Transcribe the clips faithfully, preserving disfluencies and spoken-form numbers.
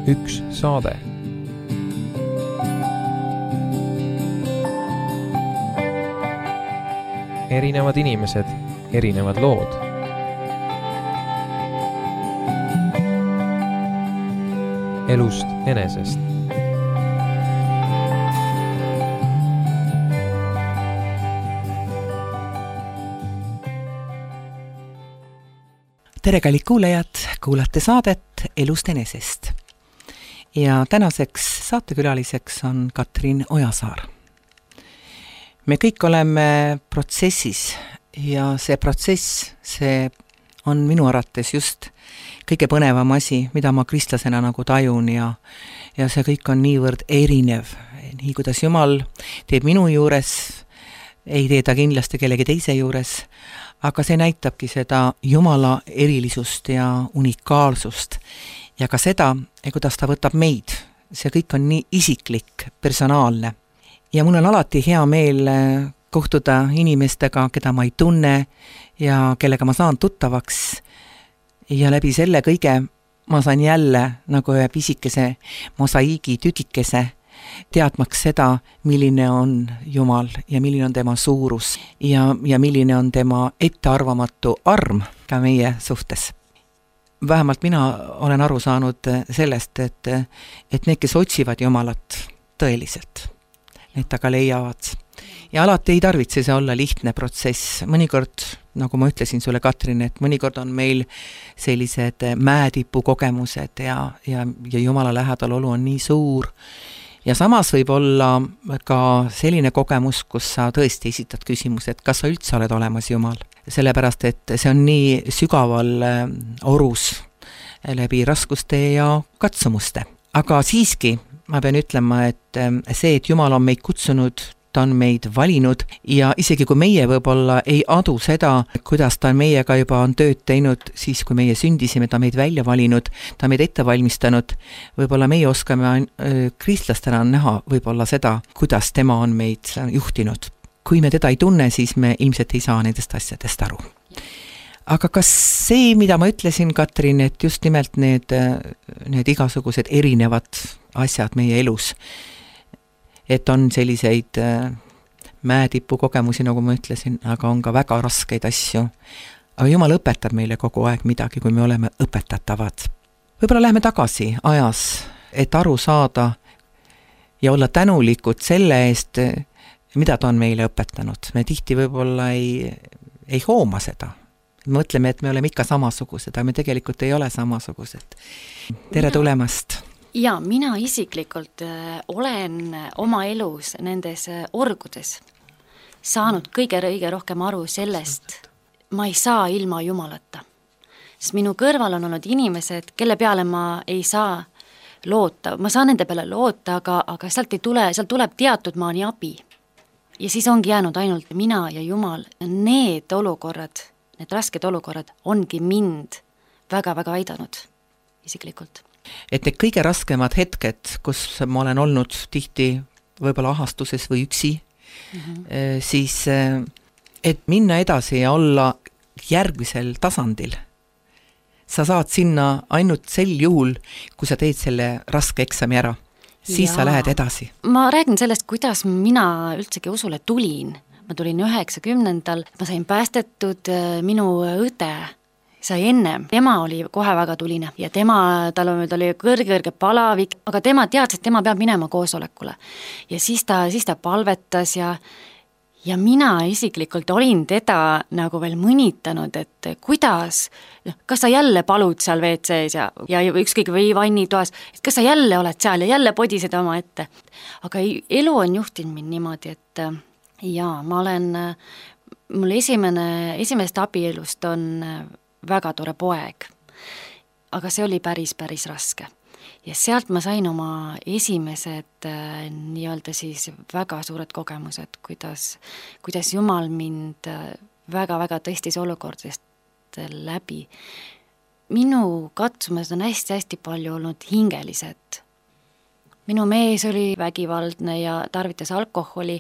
üks saade. Erinevad inimesed, erinevad lood. Elust enesest. Tere, kallid kuulajad, kuulate saadet Elust enesest. Ja tänaseks saatekülaliseks on Katrin Ojasaar. Me kõik oleme protsessis ja see protsess, see on minu arvates just kõige põnevam asi, mida ma kristlasena nagu tajun ja, ja see kõik on niivõrd erinev. Nii kuidas Jumal teeb minu juures, ei tee ta kindlasti kellegi teise juures, aga see näitabki seda Jumala erilisust ja unikaalsust ja ka seda, kuidas ta võtab meid. See kõik on nii isiklik, personaalne. Ja mul on alati hea meel kohtuda inimestega, keda ma ei tunne ja kellega ma saan tuttavaks. Ja läbi selle kõige ma saan jälle nagu ühe pisikese mosaiigi tükikese teadmaks seda, milline on Jumal ja milline on tema suurus ja, ja milline on tema ettearvamatu arm ka meie suhtes. Vähemalt mina olen aru saanud sellest, et, et need, kes otsivad Jumalat tõeliselt, need taga leiavad. Ja alati ei tarvitse see olla lihtne protsess. Mõnikord, nagu ma ütlesin sulle, Katrin, et mõnikord on meil sellised mäetipu kogemused ja, ja, ja Jumala lähedal olu on nii suur. Ja samas võib olla ka selline kogemus, kus sa tõesti esitad küsimus, et kas sa üldse oled olemas Jumal. Sellepärast, et see on nii sügaval orus läbi raskuste ja katsumuste. Aga siiski ma pean ütlema, et see, et Jumal on meid kutsunud, ta on meid valinud ja isegi kui meie võib-olla ei adu seda, kuidas ta meiega juba on tööd teinud, siis kui meie sündisime, ta meid välja valinud, ta meid ette valmistanud, võib-olla meie oskame kristlastena näha võib-olla seda, kuidas tema on meid juhtinud. Kui me teda ei tunne, siis me ilmselt ei saa nendest asjadest aru. Aga kas see, mida ma ütlesin, Katrin, et just nimelt need, need igasugused erinevad asjad meie elus, et on selliseid mäetipu kogemusi, nagu ma ütlesin, aga on ka väga raskeid asju. Aga Jumal õpetab meile kogu aeg midagi, kui me oleme õpetatavad. Võib-olla läheme tagasi ajas, et aru saada ja olla tänulikud selle eest, mida ta on meile õpetanud. Me tihti võib-olla ei, ei hooma seda. Me mõtleme, et me oleme ikka samasugused, aga me tegelikult ei ole samasugused. Tere tulemast! Ja mina isiklikult äh, olen oma elus nendes äh, orgudes saanud kõige õige rohkem aru sellest, ma ei saa ilma Jumalata. Sest minu kõrval on olnud inimesed, kelle peale ma ei saa loota. Ma saan nende peale loota, aga, aga sealt, ei tule, sealt tuleb teatud maani abi. Ja siis ongi jäänud ainult mina ja Jumal. Need olukorrad, need rasked olukorrad ongi mind väga-väga aidanud isiklikult. Et need kõige raskemad hetked, kus ma olen olnud tihti võib-olla ahastuses või üksi, mm-hmm. siis et minna edasi ja olla järgmisel tasandil, sa saad sinna ainult sel juhul, kui sa teed selle raske eksami ära. Siis ja. Sa lähed edasi. Ma räägin sellest, kuidas mina üldsegi usule tulin. Ma tulin üheksakümnendal, ma sain päästetud minu õde, sai ennem. Tema oli kohe väga tuline ja tema, tal oli kõrge-kõrge palavik, aga tema teadis, et tema peab minema koosolekule. Ja siis ta, siis ta palvetas ja, ja mina isiklikult olin teda nagu veel mõnitanud, et kuidas, kas sa jälle palud seal V C-s ja, ja ükskõik või vannitoas, et kas sa jälle oled seal ja jälle podised oma ette. Aga elu on juhtinud mind niimoodi, et ja ma olen, mul esimene, esimest abielust on väga tore poeg, aga see oli päris, päris raske. Ja sealt ma sain oma esimesed äh, nii-öelda siis väga suured kogemused, kuidas, kuidas Jumal mind väga-väga tõstis olukordest läbi. Minu katsumused on hästi-hästi palju olnud hingelised. Minu mees oli vägivaldne ja tarvitas alkoholi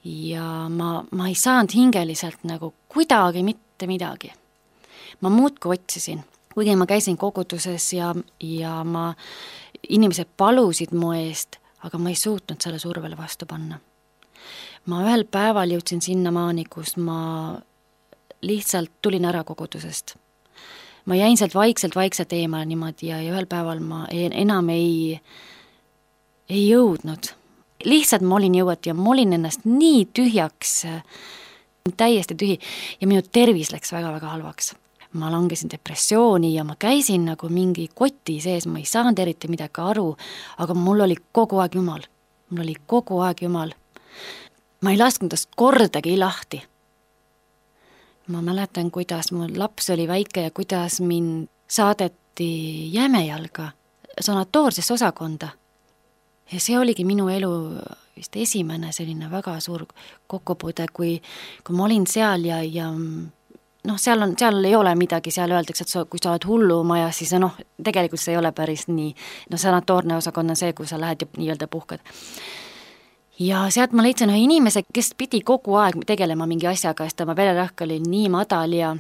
ja ma, ma ei saanud hingeliselt nagu kuidagi mitte midagi. Ma muudku otsisin, kuigi ma käisin koguduses ja, ja ma inimesed palusid mu eest, aga ma ei suutnud selle survele vastu panna. Ma ühel päeval jõudsin sinnamaani, kus ma lihtsalt tulin ära kogudusest. Ma jäin sealt vaikselt, vaikselt eemale niimoodi ja, ja ühel päeval ma enam ei, ei jõudnud. Lihtsalt ma olin jõuat ja ma olin ennast nii tühjaks, täiesti tühi ja minu tervis läks väga-väga halvaks. Ma langesin depressiooni ja ma käisin nagu mingi koti sees, ma ei saanud eriti midagi aru, aga mul oli kogu aeg Jumal. Mul oli kogu aeg Jumal. Ma ei lasknud tast kordagi lahti. Ma mäletan, kuidas mu laps oli väike ja kuidas mind saadeti Jämejalga sanatoorsesse osakonda. Ja see oligi minu elu vist esimene selline väga suur kokkupuude, kui, kui ma olin seal ja, ja noh, seal, on, seal ei ole midagi, seal öeldakse, et sa, kui sa oled hullumajas, siis noh, tegelikult see ei ole päris nii. No sanatoorne osakond on see, kui sa lähed ja nii-öelda puhkad. Ja sealt ma leidsin ühe inimese, kes pidi kogu aeg tegelema mingi asjaga, sest tema vererõhk oli nii madal ja,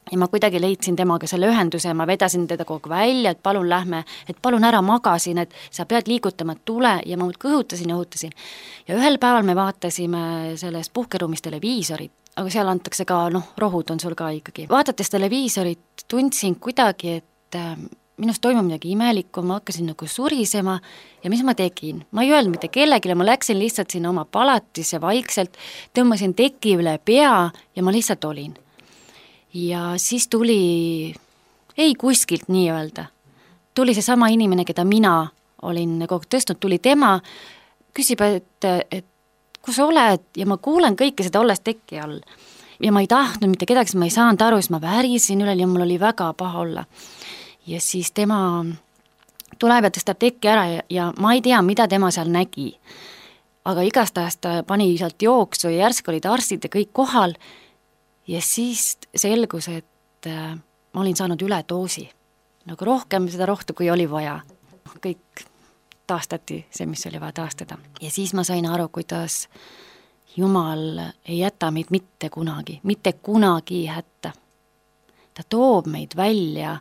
ja ma kuidagi leidsin temaga selle ühenduse ja ma vedasin teda kogu välja, et palun lähme, et palun ära magasin, et sa pead liigutama, tule ja ma kõhutasin ja õhutasin. Ja ühel päeval me vaatasime selles puhkeruumis televiisorit, aga seal antakse ka, noh, rohud on sul ka ikkagi. Vaadates televiisorit tundsin kuidagi, et minust toimub midagi imelikku, ma hakkasin nagu surisema ja mis ma tegin? Ma ei öelnud mitte kellegile, ma läksin lihtsalt sinna oma palatisse vaikselt, tõmbasin teki üle pea ja ma lihtsalt olin. Ja siis tuli, ei kuskilt nii öelda, tuli see sama inimene, keda mina olin kogu tõstnud, tuli tema, küsib, et, et kus sa oled ja ma kuulen kõike seda olles teki all. Ja ma ei tahtnud mitte kedagi, ma ei saanud aru, siis ma värisin üle ja mul oli väga paha olla. Ja siis tema tuleb ja tõstab teki ära ja, ja ma ei tea, mida tema seal nägi. Aga igastahes ta pani sealt jooksu ja järsk olid arstid ja kõik kohal ja siis selgus, et äh, ma olin saanud üle doosi. Nagu rohkem seda rohtu, kui oli vaja. Kõik taastati see, mis oli vaja taastada. Ja siis ma sain aru, kuidas Jumal ei jäta meid mitte kunagi, mitte kunagi hätta. Ta toob meid välja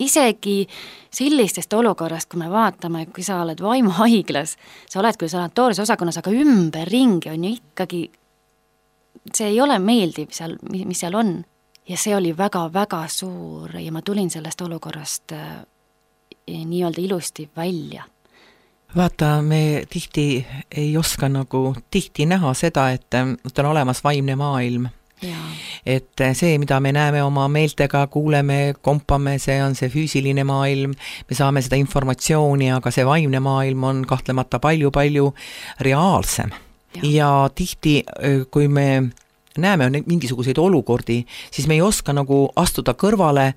isegi sellistest olukorrast, kui me vaatame, kui sa oled vaimuhaiglas, sa oled küll sanatoorses osakonnas, aga ümber ringi on ju ikkagi, see ei ole meeldiv seal, mis seal on. Ja see oli väga-väga suur ja ma tulin sellest olukorrast äh, nii-öelda ilusti välja. Vaata, me tihti ei oska nagu tihti näha seda, et on olemas vaimne maailm. Ja. Et see, mida me näeme oma meeltega, kuuleme, kompame, see on see füüsiline maailm, me saame seda informatsiooni, aga see vaimne maailm on kahtlemata palju-palju reaalsem. Ja, ja tihti, kui me näeme mingisuguseid olukordi, siis me ei oska nagu astuda kõrvale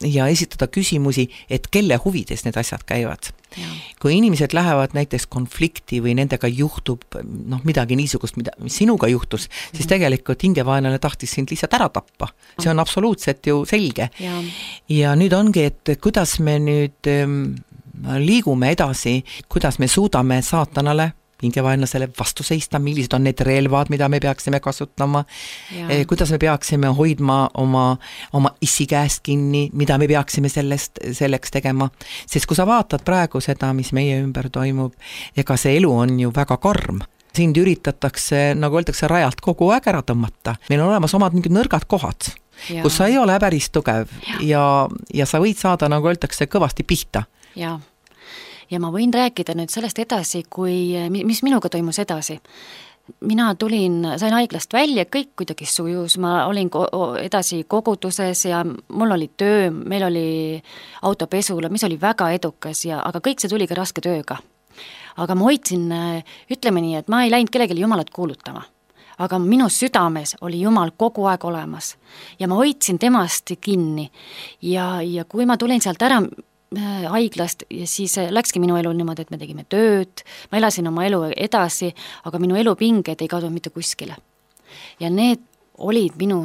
ja esitada küsimusi, et kelle huvides need asjad käivad. Ja. Kui inimesed lähevad näiteks konflikti või nendega juhtub noh, midagi niisugust, mida, mis sinuga juhtus, mm-hmm. siis tegelikult hingevaenlane tahtis sind lihtsalt ära tappa. See on absoluutselt ju selge. Ja, ja nüüd ongi, et kuidas me nüüd ähm, liigume edasi, kuidas me suudame saatanale hingevaenlasele vastu seista, millised on need relvad, mida me peaksime kasutama, e, kuidas me peaksime hoidma oma, oma issi käest kinni, mida me peaksime sellest, selleks tegema. Sest kui sa vaatad praegu seda, mis meie ümber toimub, ega see elu on ju väga karm. Sind üritatakse, nagu öeldakse, rajalt kogu aeg ära tõmmata. Meil on olemas omad mingid nõrgad kohad, ja. Kus sa ei ole päris tugev ja, ja, ja sa võid saada, nagu öeldakse, kõvasti pihta. Jaa. Ja ma võin rääkida nüüd sellest edasi, kui, mis minuga toimus edasi. Mina tulin, sain haiglast välja, kõik kuidagi sujus, ma olin edasi koguduses ja mul oli töö, meil oli autopesula, mis oli väga edukas, ja, aga kõik see tuli ka raske tööga. Aga ma hoidsin, ütleme nii, et ma ei läinud kellelegi Jumalat kuulutama. Aga minu südames oli Jumal kogu aeg olemas ja ma hoidsin temast kinni. Ja, ja kui ma tulin sealt ära haiglast ja siis läkski minu elu niimoodi, et me tegime tööd, ma elasin oma elu edasi, aga minu elupinged ei kadunud mitte kuskile. Ja need olid minu,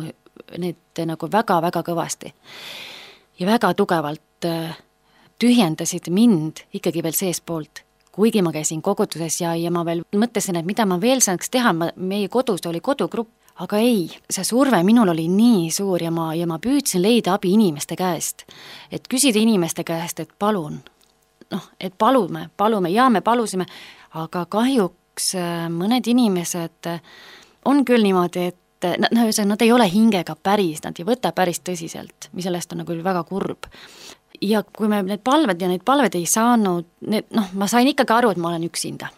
need nagu väga-väga kõvasti ja väga tugevalt tühjendasid mind ikkagi veel seespoolt, kuigi ma käisin koguduses ja, ja ma veel mõtlesin, et mida ma veel saaks teha, ma, meie kodus oli kodugrupp, aga ei, see surve minul oli nii suur ja ma, ja ma püüdsin leida abi inimeste käest, et küsida inimeste käest, et palun, noh, et palume, palume ja me palusime, aga kahjuks mõned inimesed on küll niimoodi, et nad, nad ei ole hingega päris, nad ei võta päris tõsiselt, mis sellest on nagu väga kurb. Ja kui me need palved ja need palved ei saanud, need, noh, ma sain ikkagi aru, et ma olen üksinda.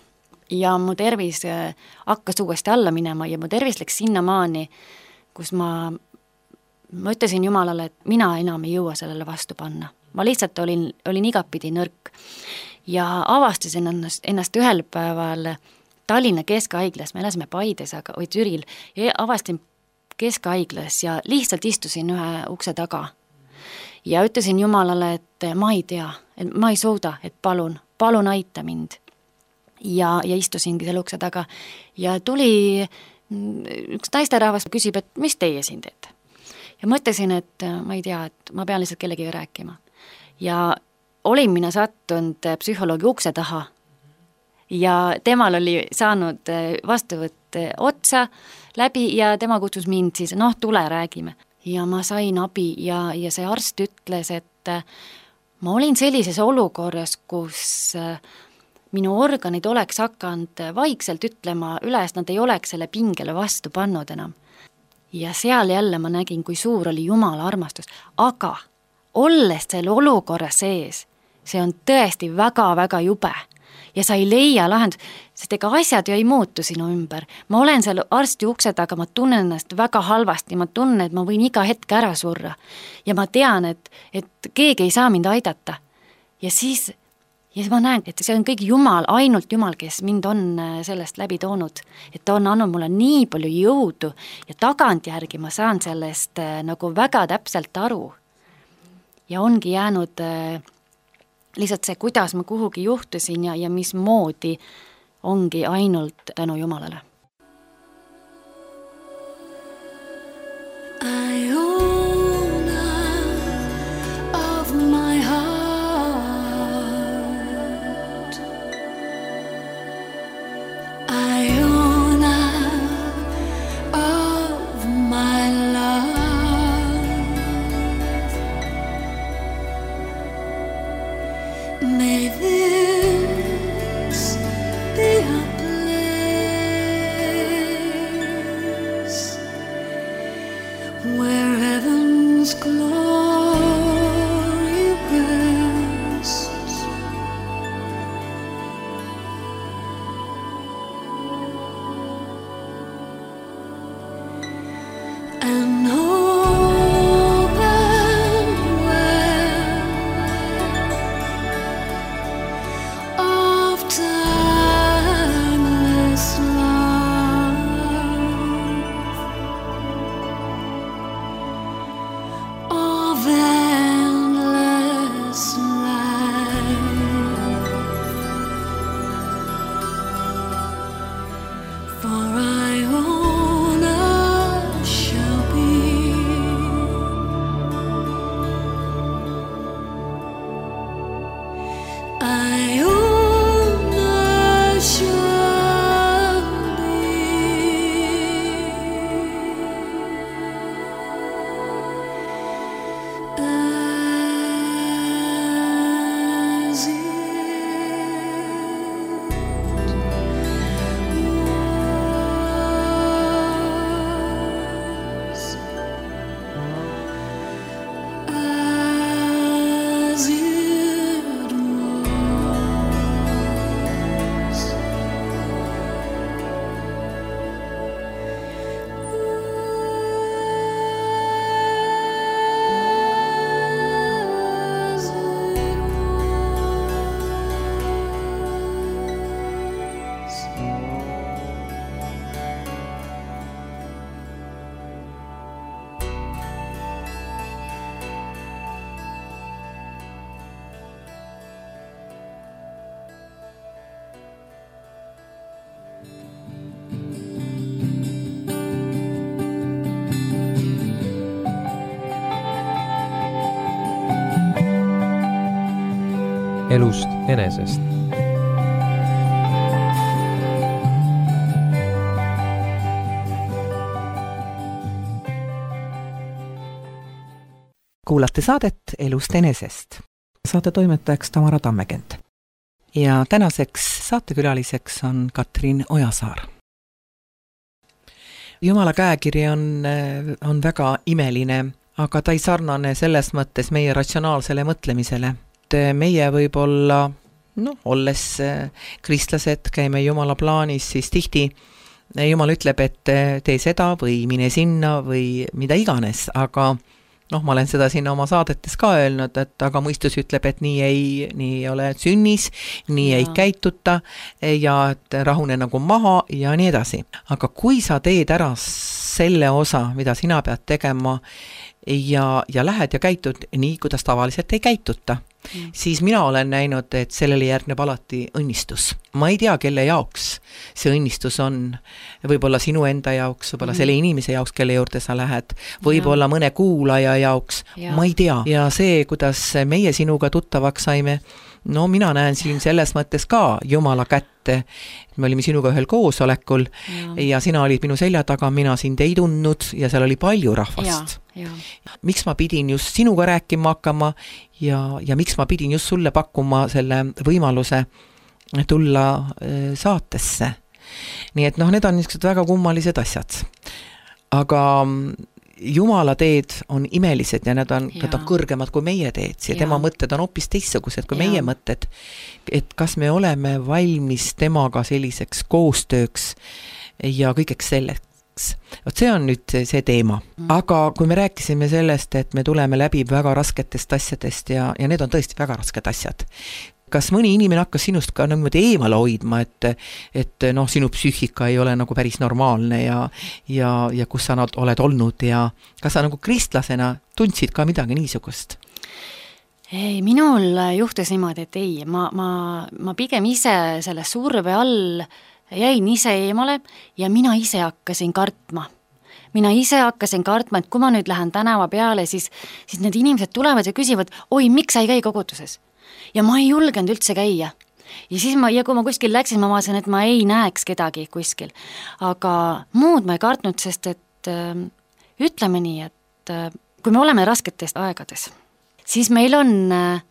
Ja mu tervis hakkas uuesti alla minema ja mu tervis läks sinnamaani, kus ma, ma ütlesin Jumalale, et mina enam ei jõua sellele vastu panna. Ma lihtsalt olin, olin igapidi nõrk ja avastasin ennast, ennast ühel päeval Tallinna Keskhaiglas, me elasime Paides aga, või Türil, ja avastasin Keskhaiglas ja lihtsalt istusin ühe ukse taga. Ja ütlesin Jumalale, et ma ei tea, et ma ei suuda, et palun, palun aita mind. Ja, ja istusingi selle ukse taga ja tuli üks naisterahvas küsib, et mis teie siin teete? Ja mõtlesin, et ma ei tea, et ma pean lihtsalt kellegi rääkima. Ja olin mina sattunud psühholoogi ukse taha ja temal oli saanud vastuvõtt otsa läbi ja tema kutsus mind siis, noh, tule räägime. Ja ma sain abi ja, ja see arst ütles, et ma olin sellises olukorras, kus minu organid oleks hakanud vaikselt ütlema üles, nad ei oleks selle pingele vastu pannud enam. Ja seal jälle ma nägin, kui suur oli Jumala armastus, aga olles selle olukorra sees, see on tõesti väga-väga jube ja sa ei leia lahendus, sest ega asjad ju ei muutu sinu ümber. Ma olen seal arsti ukse taga, ma tunnen ennast väga halvasti, ma tunnen, et ma võin iga hetk ära surra ja ma tean, et, et keegi ei saa mind aidata. Ja siis, ja siis ma näen, et see on kõik Jumal, ainult Jumal, kes mind on sellest läbi toonud, et ta on andnud mulle nii palju jõudu ja tagantjärgi ma saan sellest nagu väga täpselt aru. Ja ongi jäänud lihtsalt see, kuidas ma kuhugi juhtusin ja, ja mismoodi ongi ainult tänu Jumalale. I own of my heart I own of my love May this be a place where heaven's glory rests and elust enesest. Kuulate saadet Elust enesest. Saate toimetajaks Tamara Tammekent. ja tänaseks saatekülaliseks on Katrin Ojasaar. Jumala käekiri on, on väga imeline, aga ta ei sarnane selles mõttes meie ratsionaalsele mõtlemisele. Meie võib-olla, no, olles kristlased, käime Jumala plaanis, siis tihti Jumal ütleb, et tee seda või mine sinna või mida iganes, aga noh, ma olen seda siin oma saadetes ka öelnud, et aga mõistus ütleb, et nii ei, nii ei ole sünnis, nii ja. ei käituta ja et rahune nagu maha ja nii edasi. Aga kui sa teed ära selle osa, mida sina pead tegema ja, ja lähed ja käitud nii, kuidas tavaliselt ei käituta, mm. siis mina olen näinud, et sellele järgneb alati õnnistus. Ma ei tea, kelle jaoks see õnnistus on. Võib-olla sinu enda jaoks, võib-olla mm. selle inimese jaoks, kelle juurde sa lähed, võib-olla ja. mõne kuulaja jaoks, ja. ma ei tea. Ja see, kuidas meie sinuga tuttavaks saime, no mina näen siin selles mõttes ka Jumala kätte. Me olime sinuga ühel koosolekul ja, ja sina olid minu selja taga, mina sind ei tundnud ja seal oli palju rahvast. Ja, ja. Miks ma pidin just sinuga rääkima hakkama ja, ja miks ma pidin just sulle pakkuma selle võimaluse tulla saatesse. Nii et noh, need on niisugused väga kummalised asjad. Aga Jumala teed on imelised ja need on, need on kõrgemad kui meie teed ja, ja tema mõtted on hoopis teistsugused kui ja. meie mõtted. Et kas me oleme valmis temaga selliseks koostööks ja kõigeks selleks. Vot see on nüüd see teema. Mm. Aga kui me rääkisime sellest, et me tuleme läbi väga rasketest asjadest ja, ja need on tõesti väga rasked asjad. Kas mõni inimene hakkas sinust ka niimoodi eemale hoidma, et, et noh, sinu psüühika ei ole nagu päris normaalne ja, ja, ja kus sa oled olnud ja kas sa nagu kristlasena tundsid ka midagi niisugust? Ei, minul juhtus niimoodi, et ei, ma, ma, ma pigem ise selle surve all jäin ise eemale ja mina ise hakkasin kartma. Mina ise hakkasin kartma, et kui ma nüüd lähen tänava peale, siis, siis need inimesed tulevad ja küsivad, oi, miks sa ei käi koguduses? Ja ma ei julgenud üldse käia. Ja siis ma, ja kui ma kuskil läksin, ma vaatasin, et ma ei näeks kedagi kuskil. Aga muud ma ei kartnud, sest et äh, ütleme nii, et äh, kui me oleme rasketes aegades, siis meil on äh,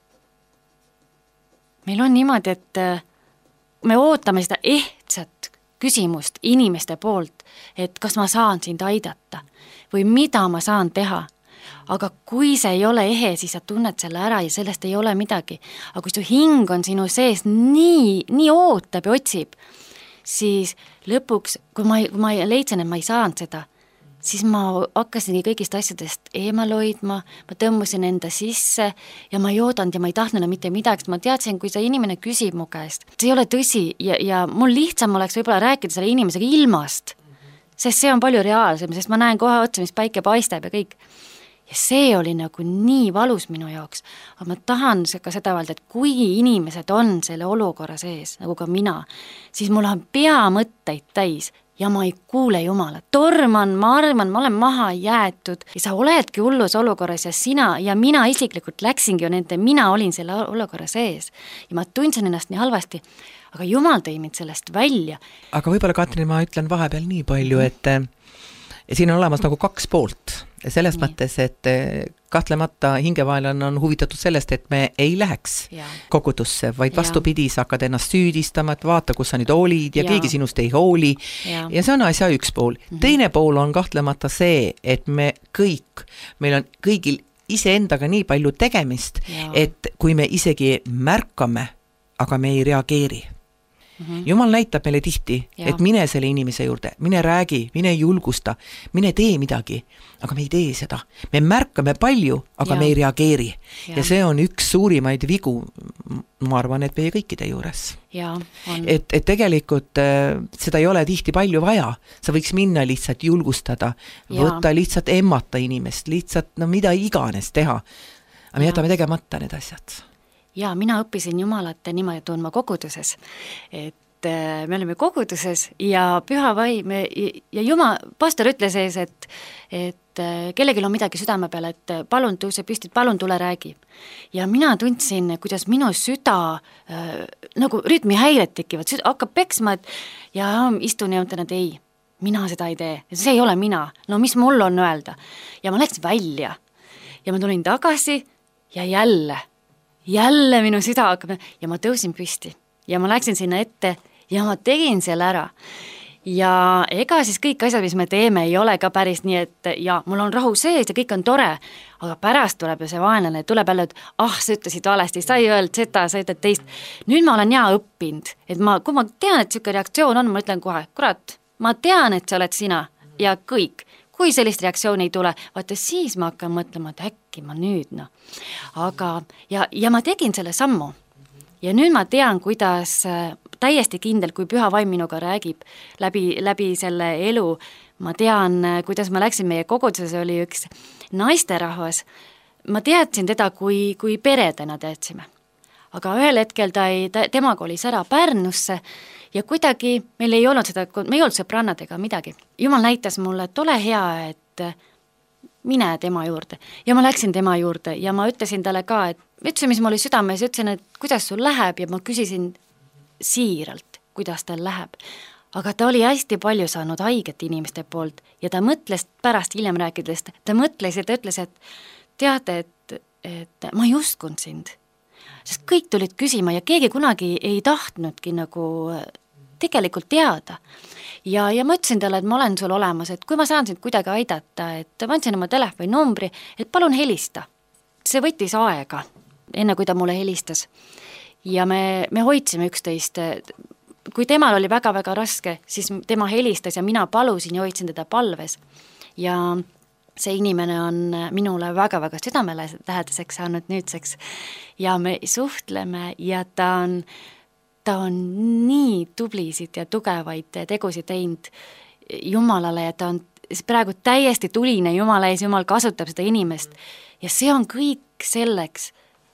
meil on niimoodi, et äh, me ootame seda ehtsat küsimust inimeste poolt, et kas ma saan sind aidata või mida ma saan teha. Aga kui see ei ole ehe, siis sa tunned selle ära ja sellest ei ole midagi. Aga kui su hing on sinu sees nii, nii ootab ja otsib, siis lõpuks, kui ma, kui ma leidsin, et ma ei saanud seda, siis ma hakkasingi kõigist asjadest eemal hoidma, ma tõmbusin enda sisse ja ma ei oodanud ja ma ei tahtnud mitte midagi, ma teadsin, kui see inimene küsib mu käest. See ei ole tõsi ja, ja mul lihtsam oleks võib-olla rääkida selle inimesega ilmast, sest see on palju reaalsem, sest ma näen kohe otsa, mis päike paistab ja kõik. Ja see oli nagu nii valus minu jaoks, aga ma tahan ka seda öelda, et kui inimesed on selle olukorra sees, nagu ka mina, siis mul on pea mõtteid täis ja ma ei kuule Jumalat. Torman, ma arvan, ma olen maha jäetud ja sa oledki hullus olukorras ja sina ja mina isiklikult läksingi ju nende, mina olin selle olukorra sees ja ma tundsin ennast nii halvasti, aga Jumal tõi mind sellest välja. Aga võib-olla, Katrin, ma ütlen vahepeal nii palju, et siin on olemas nagu kaks poolt. Selles nii. Mõttes, et kahtlemata hingevaelane on huvitatud sellest, et me ei läheks ja. kogudusse, vaid vastupidi, sa hakkad ennast süüdistama, et vaata, kus sa nüüd olid ja, ja. keegi sinust ei hooli. Ja, ja see on asja üks pool. Mm-hmm. Teine pool on kahtlemata see, et me kõik, meil on kõigil iseendaga nii palju tegemist, ja. et kui me isegi märkame, aga me ei reageeri. Mm-hmm. Jumal näitab meile tihti, ja. et mine selle inimese juurde, mine räägi, mine julgusta, mine tee midagi, aga me ei tee seda. Me märkame palju, aga ja. me ei reageeri. Ja. ja see on üks suurimaid vigu, ma arvan, et meie kõikide juures. Ja, on. Et, et tegelikult äh, seda ei ole tihti palju vaja. Sa võiks minna lihtsalt julgustada, ja. võtta lihtsalt emmata inimest, lihtsalt no mida iganes teha. Aga me jätame tegemata need asjad. Ja mina õppisin Jumalat niimoodi tundma koguduses, et me olime koguduses ja püha vaim ja Jumal, pastor ütles ees, et, et kellelgi on midagi südame peal, et palun tõuse püsti, palun tule räägi. Ja mina tundsin, kuidas minu süda äh, nagu rütmihäired tekivad, süda hakkab peksma, et ja istun ja mõtlen, et ei, mina seda ei tee, see ei ole mina, no mis mul on öelda. Ja ma läksin välja ja ma tulin tagasi ja jälle Jälle minu süda hakkab ja ma tõusin püsti ja ma läksin sinna ette ja ma tegin selle ära. Ja ega siis kõik asjad, mis me teeme, ei ole ka päris nii, et ja mul on rahu sees ja kõik on tore, aga pärast tuleb ju see vaenlane, tuleb jälle, et ah, sa ütlesid valesti, sa ei öelnud seda, sa ütled teist. Nüüd ma olen hea õppinud, et ma, kui ma tean, et siuke reaktsioon on, ma ütlen kohe, kurat, ma tean, et sa oled sina ja kõik. Kui sellist reaktsiooni ei tule, vaata siis ma hakkan mõtlema, et äkki ma nüüd, noh. Aga, ja, ja ma tegin selle sammu. Ja nüüd ma tean, kuidas täiesti kindel, kui püha vaim minuga räägib läbi, läbi selle elu, ma tean, kuidas ma läksin meie koguduses, oli üks naisterahvas, ma teadsin teda, kui, kui peredena teadsime. Aga ühel hetkel ta ei, ta, tema kolis ära Pärnusse ja kuidagi meil ei olnud seda, me ei olnud sõbrannadega midagi. Jumal näitas mulle, et ole hea, et mine tema juurde. Ja ma läksin tema juurde ja ma ütlesin talle ka, et ütlesin, mis mul oli südames, ütlesin, et kuidas sul läheb ja ma küsisin siiralt, kuidas tal läheb. Aga ta oli hästi palju saanud haiget inimeste poolt ja ta mõtles pärast hiljem rääkides, ta mõtles ja ta ütles, et teate, et, et ma ei uskunud sind. Sest kõik tulid küsima ja keegi kunagi ei tahtnudki nagu tegelikult teada. Ja, ja ma ütlesin talle, et ma olen sul olemas, et kui ma saan sind kuidagi aidata, et ma andsin oma telefoni numbri, et palun helista. See võttis aega, enne kui ta mulle helistas. Ja me, me hoidsime üksteist. Kui temal oli väga-väga raske, siis tema helistas ja mina palusin ja hoidsin teda palves. Ja see inimene on minule väga-väga südamelähedaseks saanud nüüdseks. Ja me suhtleme ja ta on ta on nii tublisid ja tugevaid tegusid teinud Jumalale ja ta on praegu täiesti tuline Jumala ees, Jumal kasutab seda inimest ja see on kõik selleks,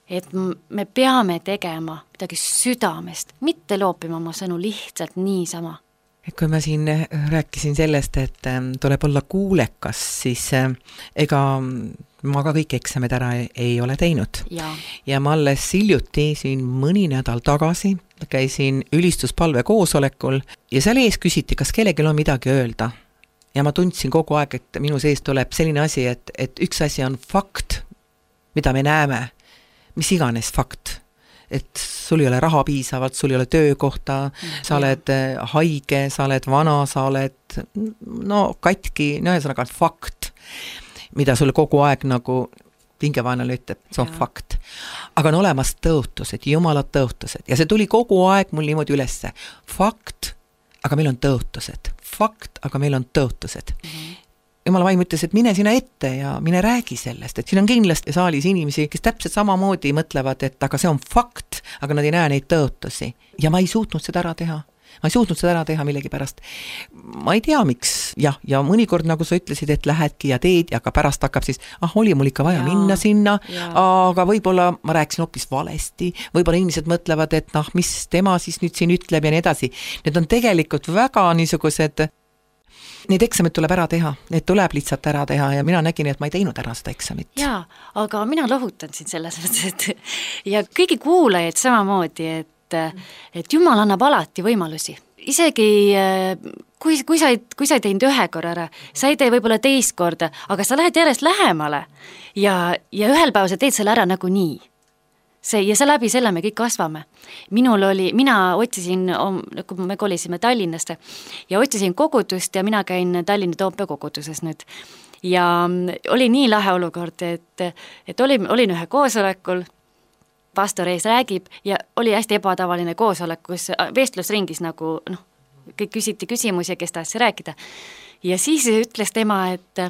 et me peame tegema midagi südamest, mitte loopima oma sõnu lihtsalt niisama. Et kui ma siin rääkisin sellest, et tuleb olla kuulekas, siis ega ma ka kõik eksamid ära ei ole teinud. Ja, ja ma alles hiljuti siin mõni nädal tagasi käisin ülistuspalve koosolekul ja seal ees küsiti, kas kellelgi on midagi öelda. Ja ma tundsin kogu aeg, et minu sees tuleb selline asi, et, et üks asi on fakt, mida me näeme, mis iganes fakt. Et sul ei ole raha piisavalt, sul ei ole töökohta, sa oled haige, sa oled vana, sa oled no katki, no ühesõnaga on fakt, mida sul kogu aeg nagu pingevaenale ütleb, see on ja. Fakt. Aga on olemas tõotused, Jumala tõotused ja see tuli kogu aeg mul niimoodi ülesse. Fakt, aga meil on tõotused. Fakt, aga meil on tõotused. Mm-hmm. Jumala vaim ütles, et mine sina ette ja mine räägi sellest, et siin on kindlasti saalis inimesi, kes täpselt samamoodi mõtlevad, et aga see on fakt, aga nad ei näe neid tõotusi. Ja ma ei suutnud seda ära teha. Ma ei suutnud seda ära teha millegi pärast. Ma ei tea, miks. Ja, ja mõnikord, nagu sa ütlesid, et lähedki ja teed, ja ka pärast hakkab siis, ah, oli mul ikka vaja ja, minna sinna, ja. Aga võib-olla ma rääkisin hoopis valesti, võib-olla inimesed mõtlevad, et noh, mis tema siis nüüd siin ütleb ja nii edasi. Need on tegelikult väga niisugused, need eksamid tuleb ära teha, need tuleb lihtsalt ära teha ja mina nägin, et ma ei teinud ära seda eksamit. Jaa, aga mina lohutan siin selles mõttes, et ja kõigi kuulajaid samamoodi, et et Jumal annab alati võimalusi. Isegi kui, kui, sa ei, kui sa ei teinud ühe korra ära, sa ei tee võib-olla teist korda, aga sa lähed järjest lähemale ja, ja ühel päeval sa teed selle ära nagu nii. See, ja see läbi selle me kõik kasvame. Minul oli, mina otsisin, kui me kolisime Tallinnasse ja otsisin kogudust ja mina käin Tallinna Toompea koguduses nüüd. Ja oli nii lahe olukord, et, et olin, olin ühe koosolekul, pastor ees räägib ja oli hästi ebatavaline koosolek, kus vestlusringis nagu, noh, kõik küsiti küsimusi, kes tahtis rääkida. Ja siis ütles tema, et,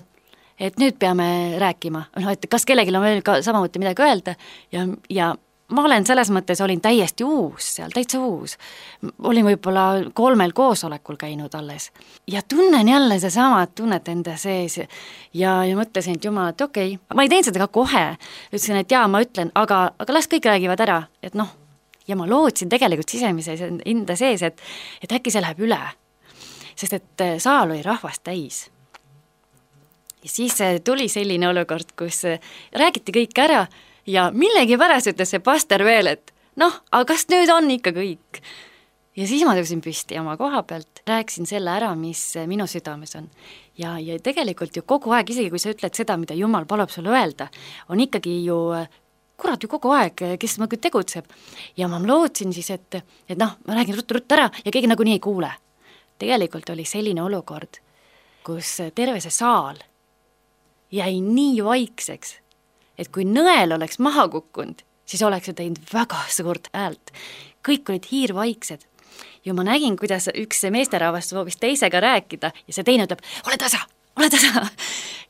et nüüd peame rääkima, no, et kas kellelgi on veel ka samamoodi midagi öelda ja, ja ma olen selles mõttes, olin täiesti uus seal, täitsa uus. Olin võib-olla kolmel koosolekul käinud alles. Ja tunnen jälle see sama tunnet enda sees. Ja, ja mõtlesin, et Jumal, et okei, okay. Ma ei teinud seda ka kohe. Ütlesin, et jaa, ma ütlen, aga, aga las kõik räägivad ära. Et noh, ja ma lootsin tegelikult sisemise enda sees, et, et äkki see läheb üle. Sest et saal oli rahvast täis. Ja siis tuli selline olukord, kus räägiti kõik ära ja millegi pärast ütles see pastor veel, et noh, aga kas nüüd on ikka kõik? Ja siis ma tõusin püsti oma koha pealt, rääkisin selle ära, mis minu südames on. Ja, ja tegelikult ju kogu aeg, isegi kui sa ütled seda, mida Jumal palub sulle öelda, on ikkagi ju kurat ju kogu aeg, kes nagu tegutseb. Ja ma lootsin siis, et, et noh, ma räägin ruttu-ruttu ära ja keegi nagu nii ei kuule. Tegelikult oli selline olukord, kus terve see saal jäi nii vaikseks, et kui nõel oleks maha kukkunud, siis oleks see teinud väga suurt häält. Kõik olid hiirvaiksed. Ja ma nägin, kuidas üks meesterahvas soovis teisega rääkida ja see teine ütleb, ole tasa, ole tasa.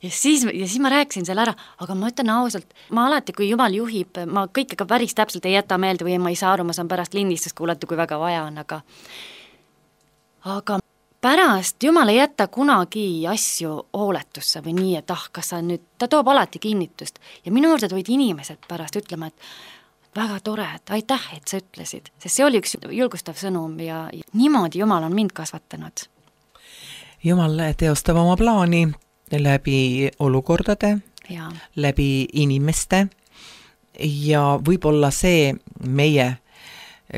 Ja siis, ja siis ma rääkisin selle ära, aga ma ütlen ausalt, ma alati, kui Jumal juhib, ma kõike ka päris täpselt ei jäta meelde või ma ei saa aru, ma saan pärast lindistust kuulata, kui väga vaja on, aga aga pärast Jumal ei jäta kunagi asju hooletusse või nii, et ah, kas sa nüüd, ta toob alati kinnitust ja minu juurde tulid inimesed pärast ütlema, et väga tore, et aitäh, et sa ütlesid, sest see oli üks julgustav sõnum ja, ja niimoodi Jumal on mind kasvatanud. Jumal teostab oma plaani läbi olukordade, ja. läbi inimeste ja võib-olla see meie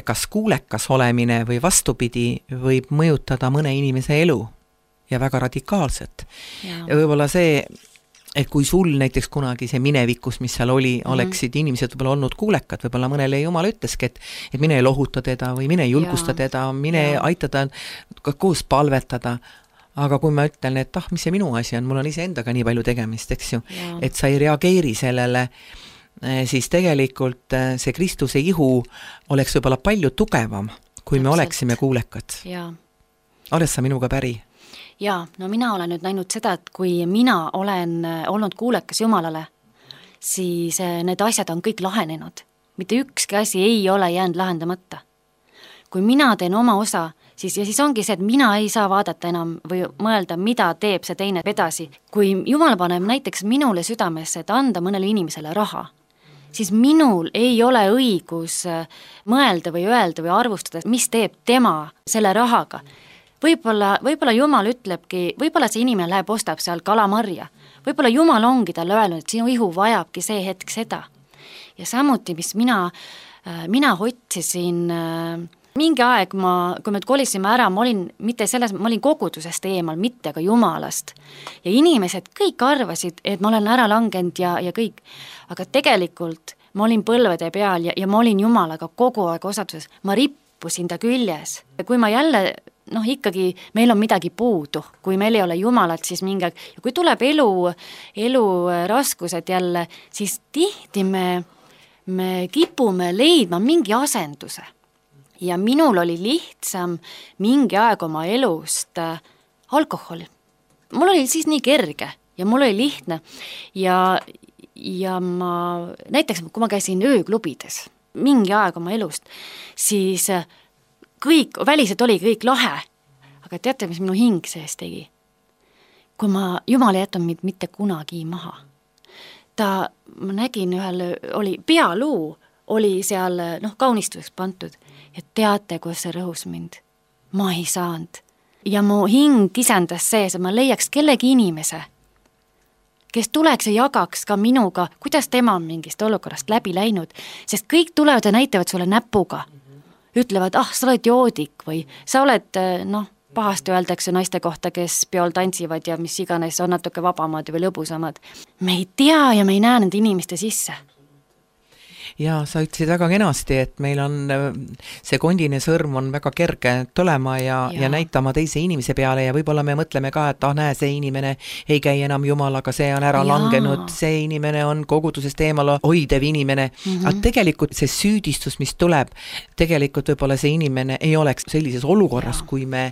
kas kuulekas olemine või vastupidi võib mõjutada mõne inimese elu ja väga radikaalselt. Ja, ja võib-olla see, et kui sul näiteks kunagi see minevikus, mis seal oli, mm-hmm. oleksid inimesed võib-olla olnud kuulekad, võib-olla mõnele Jumal ütleski, et, et mine lohuta teda või mine julgusta ja. teda, mine ja. aitada koos palvetada, aga kui ma ütlen, et ah, mis see minu asi on, mul on ise endaga nii palju tegemist, eks ju, ja. et sa ei reageeri sellele, siis tegelikult see Kristuse ihu oleks võib-olla palju tugevam, kui Täpselt. me oleksime kuulekad. Oled sa minuga päri? Jaa, no mina olen nüüd näinud seda, et kui mina olen olnud kuulekas Jumalale, siis need asjad on kõik lahenenud. Mitte ükski asi ei ole jäänud lahendamata. Kui mina teen oma osa, siis, ja siis ongi see, et mina ei saa vaadata enam või mõelda, mida teeb see teine edasi. Kui Jumal paneb näiteks minule südamesse, et anda mõnele inimesele raha, siis minul ei ole õigus mõelda või öelda või arvustada, mis teeb tema selle rahaga. Võib-olla, võib-olla Jumal ütlebki, võib-olla see inimene läheb, ostab seal kalamarja. Võib-olla Jumal ongi talle öelnud, et sinu ihu vajabki see hetk seda. Ja samuti, mis mina, mina otsisin, mingi aeg ma, kui me kolisime ära, ma olin, mitte selles, ma olin kogudusest eemal, mitte ka Jumalast. Ja inimesed kõik arvasid, et ma olen ära langenud ja, ja kõik. Aga tegelikult ma olin põlvede peal ja, ja ma olin Jumalaga kogu aeg osaduses. Ma rippusin ta küljes. Ja kui ma jälle noh, ikkagi meil on midagi puudu, kui meil ei ole Jumalat, siis mingi aeg, ja kui tuleb elu, elu raskused jälle, siis tihti me, me kipume leidma mingi asenduse. Ja minul oli lihtsam mingi aeg oma elust äh, alkohol. Mul oli siis nii kerge ja mul oli lihtne ja, ja ma, näiteks kui ma käisin ööklubides mingi aeg oma elust, siis äh, kõik, väliselt oli kõik lahe, aga teate, mis minu hing sees tegi? Kui ma, Jumal ei jätnud mind mitte kunagi maha. Ta, ma nägin ühel, oli pealuu, oli seal noh, kaunistuseks pantud ja teate, kus see rõhus mind? Ma ei saanud. Ja mu hing kisendas sees, et ma leiaks kellegi inimese, kes tuleks ja jagaks ka minuga, kuidas tema on mingist olukorrast läbi läinud, sest kõik tulevad ja näitavad sulle näpuga. Ütlevad, ah, sa oled joodik või sa oled, noh, pahasti öeldakse naiste kohta, kes peol tantsivad ja mis iganes on natuke vabamad või lõbusamad. Me ei tea ja me ei näe nende inimeste sisse. Ja sa ütlesid väga kenasti, et meil on see kondine sõrm on väga kerge tulema ja, ja. ja näitama teise inimese peale ja võib-olla me mõtleme ka, et ah, näe, see inimene ei käi enam Jumalaga, see on ära ja. langenud, see inimene on kogudusest eemal hoidev inimene. Mm-hmm. Aga tegelikult see süüdistus, mis tuleb, tegelikult võib-olla see inimene ei oleks sellises olukorras, ja. kui me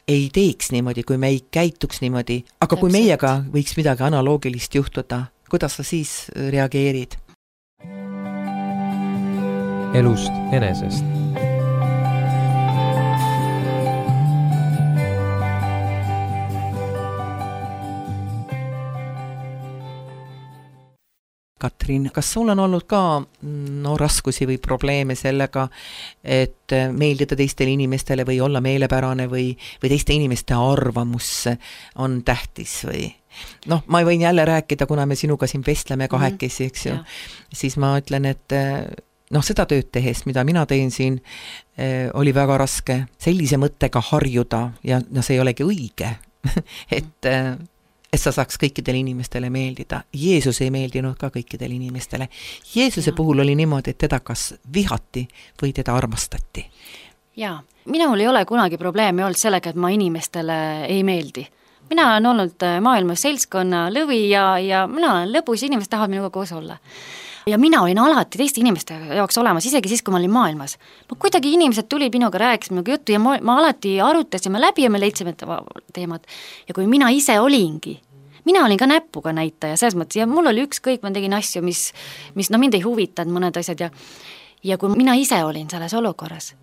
ei teeks niimoodi, kui me ei käituks niimoodi. Aga Täpselt. Kui meiega võiks midagi analoogilist juhtuda, kuidas sa siis reageerid? Elust enesest. Katrin, kas sul on olnud ka no, raskusi või probleeme sellega, et meeldida teistele inimestele või olla meelepärane või, või teiste inimeste arvamus on tähtis või? Noh, ma võin jälle rääkida, kuna me sinuga siin vestleme kahekesi, eks ju, siis ma ütlen, et noh, seda tööd tehes, mida mina teen siin, eh, oli väga raske sellise mõttega harjuda ja no see ei olegi õige, et, et sa saaks kõikidele inimestele meeldida. Jeesus ei meeldinud ka kõikidele inimestele. Jeesuse ja. puhul oli niimoodi, et teda kas vihati või teda armastati. Jaa, minul ei ole kunagi probleemi olnud sellega, et ma inimestele ei meeldi. Mina olen olnud maailmas seltskonna lõvi ja, ja mina olen lõbus ja inimesed tahavad minuga koos olla. Ja mina olin alati teiste inimeste jaoks olemas, isegi siis, kui ma olin maailmas. Ma kuidagi inimesed tuli minuga, rääkis minuga juttu ja ma, ma alati arutasime läbi ja me leidsime teemad. Ja kui mina ise olingi, mina olin ka näpuga näitaja, selles mõttes, ja mul oli ükskõik, ma tegin asju, mis, mis no mind ei huvitanud mõned asjad ja, ja kui mina ise olin selles olukorras,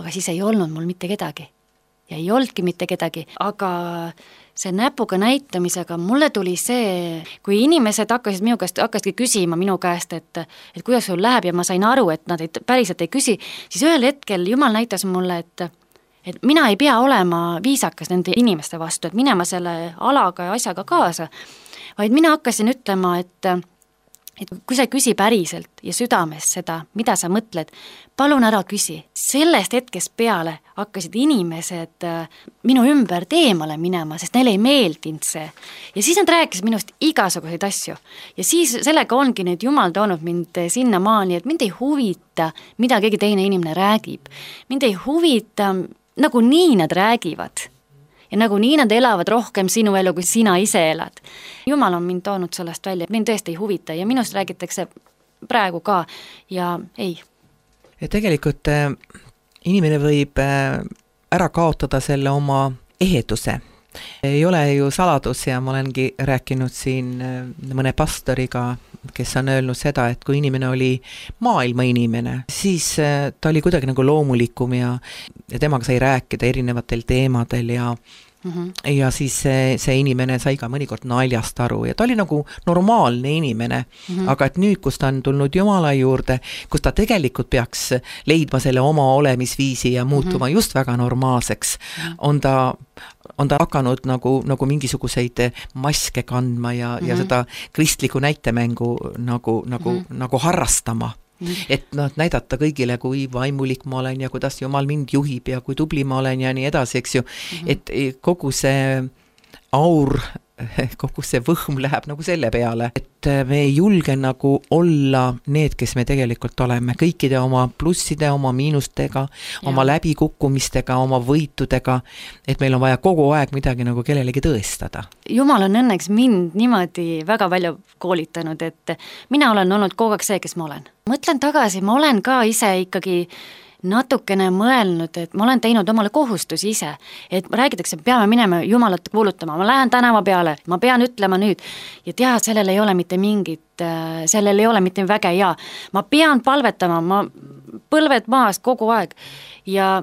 aga siis ei olnud mul mitte kedagi. Ja ei oldki mitte kedagi, aga see näpuga näitamisega mulle tuli see, kui inimesed hakkasid minu käest, hakkasidki küsima minu käest, et, et kuidas sul läheb ja ma sain aru, et nad ei, päriselt ei küsi, siis ühel hetkel Jumal näitas mulle, et, et mina ei pea olema viisakas nende inimeste vastu, et minema selle alaga ja asjaga kaasa, vaid mina hakkasin ütlema, et et kui sa küsi päriselt ja südames seda, mida sa mõtled, palun ära küsi. Sellest hetkest peale hakkasid inimesed minu ümber teemale minema, sest neile ei meeldinud see. Ja siis nad rääkisid minust igasuguseid asju. Ja siis sellega ongi nüüd Jumal toonud mind sinna maani, et mind ei huvita, mida keegi teine inimene räägib. Mind ei huvita, nagu nii nad räägivad. Ja nagu nii nad elavad rohkem sinu elu, kui sina ise elad. Jumal on mind toonud sellest välja, mind tõesti ei huvita ja minust räägitakse praegu ka ja ei. Ja tegelikult äh, inimene võib äh, ära kaotada selle oma eheduse. Ei ole ju saladus ja ma olengi rääkinud siin äh, mõne pastoriga, kes on öelnud seda, et kui inimene oli maailma inimene, siis äh, ta oli kuidagi nagu loomulikum ja, ja temaga sai rääkida erinevatel teemadel ja Mm-hmm. ja siis see, see inimene sai ka mõnikord naljast aru ja ta oli nagu normaalne inimene, mm-hmm. aga et nüüd, kus ta on tulnud Jumala juurde, kus ta tegelikult peaks leidma selle oma olemisviisi ja muutuma mm-hmm. just väga normaalseks, mm-hmm. on ta on ta hakanud nagu, nagu mingisuguseid maske kandma ja, mm-hmm. ja seda kristliku näitemängu nagu, nagu, mm-hmm. nagu harrastama. Et noh, näidata kõigile, kui vaimulik ma olen ja kuidas Jumal mind juhib ja kui tubli ma olen ja nii edasi, eks ju. Mm-hmm. Et kogu see aur, kogu see võhm läheb nagu selle peale, et me ei julge nagu olla need, kes me tegelikult oleme, kõikide oma plusside, oma miinustega, ja. oma läbikukkumistega, oma võitudega, et meil on vaja kogu aeg midagi nagu kellelegi tõestada. Jumal on õnneks mind niimoodi väga palju koolitanud, et mina olen olnud kogu aeg see, kes ma olen. Mõtlen tagasi, ma olen ka ise ikkagi natukene mõelnud, et ma olen teinud omale kohustusi ise, et räägitakse, peame minema Jumalat kuulutama, ma lähen tänava peale, ma pean ütlema nüüd ja tea, sellel ei ole mitte mingit, sellel ei ole mitte väge ja ma pean palvetama, ma põlved maas kogu aeg ja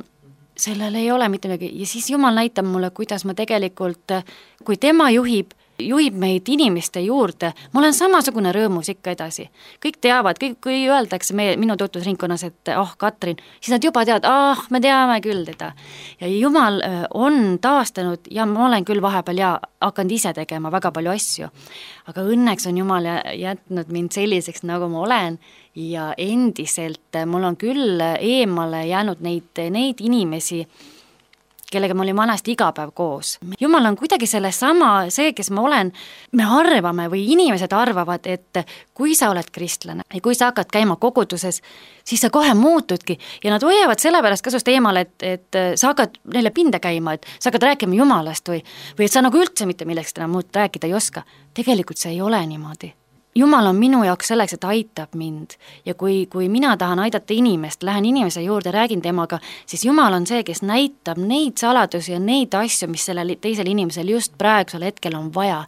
sellel ei ole mitte midagi ja siis Jumal näitab mulle, kuidas ma tegelikult, kui tema juhib, juhib meid inimeste juurde, ma olen samasugune rõõmus ikka edasi. Kõik teavad, kõik, kui öeldakse meie, minu tutvusringkonnas, et oh, Katrin, siis nad juba teavad, ah, me teame küll teda. Ja Jumal on taastanud ja ma olen küll vahepeal ja hakanud ise tegema väga palju asju. Aga õnneks on Jumal jätnud mind selliseks, nagu ma olen ja endiselt mul on küll eemale jäänud neid, neid inimesi, kellega ma olin vanasti iga päev koos. Jumal on kuidagi selle sama, see, kes ma olen, me arvame või inimesed arvavad, et kui sa oled kristlane ja kui sa hakkad käima koguduses, siis sa kohe muutudki ja nad hoiavad selle pärast kasust eemale, et, et sa hakkad neile pinde käima, et sa hakkad rääkima Jumalast või, või et sa nagu üldse mitte milleks täna muud rääkida ei oska. Tegelikult see ei ole niimoodi. Jumal on minu jaoks selleks, et aitab mind ja kui, kui mina tahan aidata inimest, lähen inimese juurde, räägin temaga, siis Jumal on see, kes näitab neid saladusi ja neid asju, mis sellel teisel inimesel just praegusel hetkel on vaja.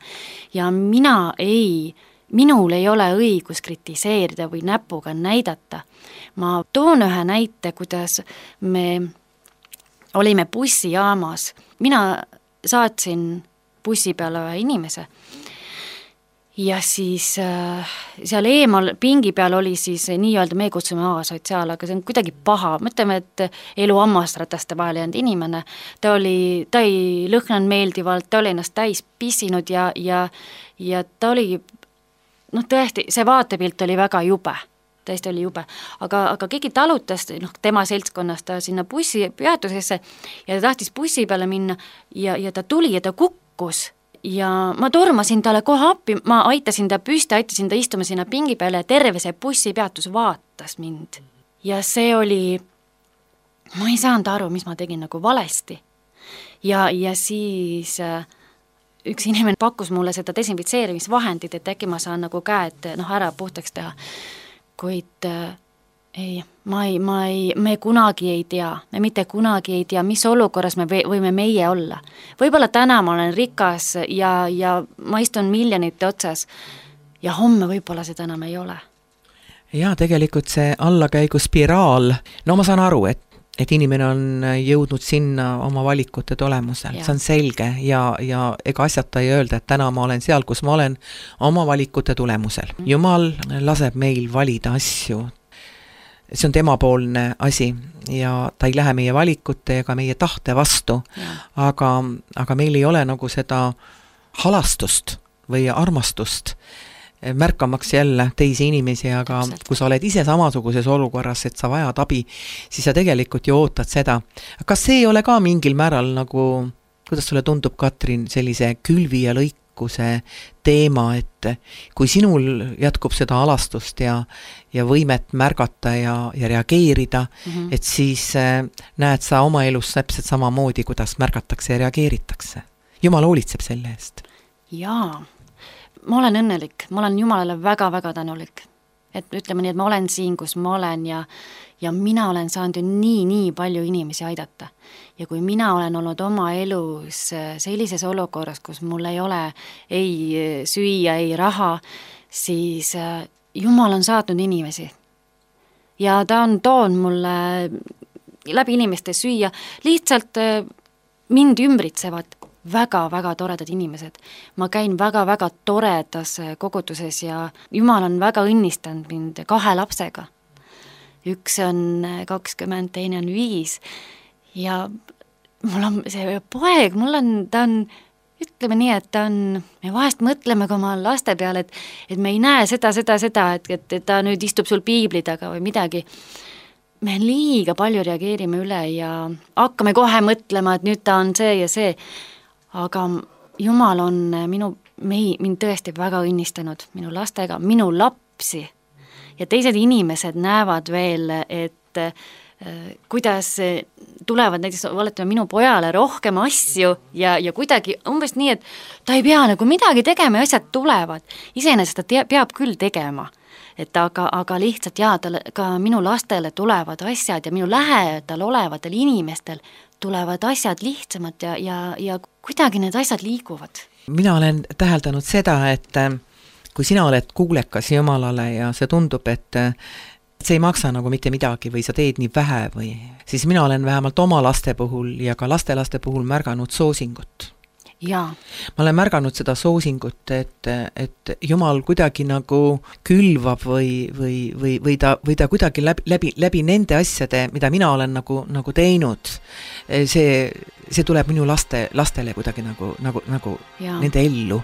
Ja mina ei, minul ei ole õigus kritiseerida või näpuga näidata. Ma toon ühe näite, kuidas me olime bussijaamas. Mina saatsin bussi peale ühe inimese ja siis äh, seal eemal pingi peal oli siis nii-öelda me kutsume A-sotsiaal, aga see on kuidagi paha. Mõtleme, et elu hammasrataste vahel jäänud inimene, ta oli, ta ei lõhnanud meeldivalt, ta oli ennast täis pissinud ja, ja, ja ta oli, noh tõesti, see vaatepilt oli väga jube, tõesti oli jube, aga, aga keegi talutas, noh tema seltskonnast ta sinna bussi peatusesse ja ta tahtis bussi peale minna ja, ja ta tuli ja ta kukkus ja ma tormasin talle kohe appi, ma aitasin ta püsti, aitasin ta istuma sinna pingi peale ja terve see bussipeatus vaatas mind. Ja see oli, ma ei saanud aru, mis ma tegin nagu valesti. Ja, ja siis üks inimene pakkus mulle seda desinfitseerimisvahendit, et äkki ma saan nagu käed noh, ära puhtaks teha. Kuid ei, ma ei, ma ei, me kunagi ei tea, me mitte kunagi ei tea, mis olukorras me võime meie olla. Võib-olla täna ma olen rikas ja, ja ma istun miljonite otsas ja homme võib-olla seda enam ei ole. Ja tegelikult see allakäigu spiraal, no ma saan aru, et et inimene on jõudnud sinna oma valikute tulemusel, ja. See on selge ja, ja ega asjata ei öelda, et täna ma olen seal, kus ma olen oma valikute tulemusel. Jumal laseb meil valida asju. See on temapoolne asi ja ta ei lähe meie valikute ega meie tahte vastu, aga, aga meil ei ole nagu seda halastust või armastust märkamaks jälle teisi inimesi, aga Täpselt. Kui sa oled ise samasuguses olukorras, et sa vajad abi, siis sa tegelikult ju ootad seda. Kas see ei ole ka mingil määral nagu, kuidas sulle tundub, Katrin, sellise külvi ja lõikuse teema, et kui sinul jätkub seda alastust ja, ja võimet märgata ja, ja reageerida, mm-hmm. et siis näed sa oma elus täpselt samamoodi, kuidas märgatakse ja reageeritakse. Jumal hoolitseb selle eest. Jaa. Ma olen õnnelik, ma olen Jumalale väga-väga tänulik, et ütleme nii, et ma olen siin, kus ma olen ja, ja mina olen saanud ju nii, nii palju inimesi aidata. Ja kui mina olen olnud oma elus sellises olukorras, kus mul ei ole ei süüa, ei raha, siis Jumal on saatnud inimesi. Ja ta on toon mulle läbi inimeste süüa, lihtsalt mind ümbritsevad väga-väga toredad inimesed. Ma käin väga-väga toredas kogutuses ja Jumal on väga õnnistanud mind kahe lapsega. Üks on kakskümmend, teine on viis ja mul on see poeg, mul on, ta on, ütleme nii, et ta on, me vahest mõtleme ka oma laste peale, et, et me ei näe seda, seda, seda, et, et, et ta nüüd istub sul piibli taga või midagi. Me liiga palju reageerime üle ja hakkame kohe mõtlema, et nüüd ta on see ja see. Aga Jumal on minu, mei, mind tõesti väga õnnistanud minu lastega, minu lapsi ja teised inimesed näevad veel, et äh, kuidas tulevad näiteks valetame minu pojale rohkem asju ja, ja kuidagi umbes nii, et ta ei pea nagu midagi tegema ja asjad tulevad. Iseenesest ta te, peab küll tegema, et aga, aga lihtsalt jaa, talle, ka minu lastele tulevad asjad ja minu lähedal olevatel inimestel tulevad asjad lihtsamad ja, ja, ja kuidagi need asjad liiguvad. Mina olen täheldanud seda, et kui sina oled kuulekas Jumalale ja see tundub, et see ei maksa nagu mitte midagi või sa teed nii vähe või, siis mina olen vähemalt oma laste puhul ja ka lastelaste puhul märganud soosingut. Jaa. Ma olen märganud seda soosingut, et, et Jumal kuidagi nagu külvab või, või, või, või, ta, või ta kuidagi läbi, läbi, läbi nende asjade, mida mina olen nagu, nagu teinud, see, see tuleb minu laste, lastele kuidagi nagu, nagu, nagu nende ellu.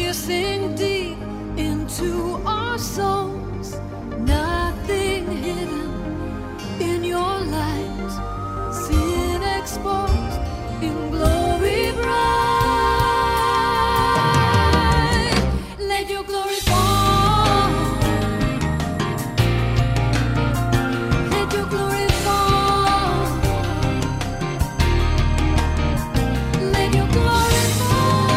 piercing deep. your souls, nothing hidden in your light, sin exposed in glory bright. Let your glory fall. Let your glory fall. Let your glory fall.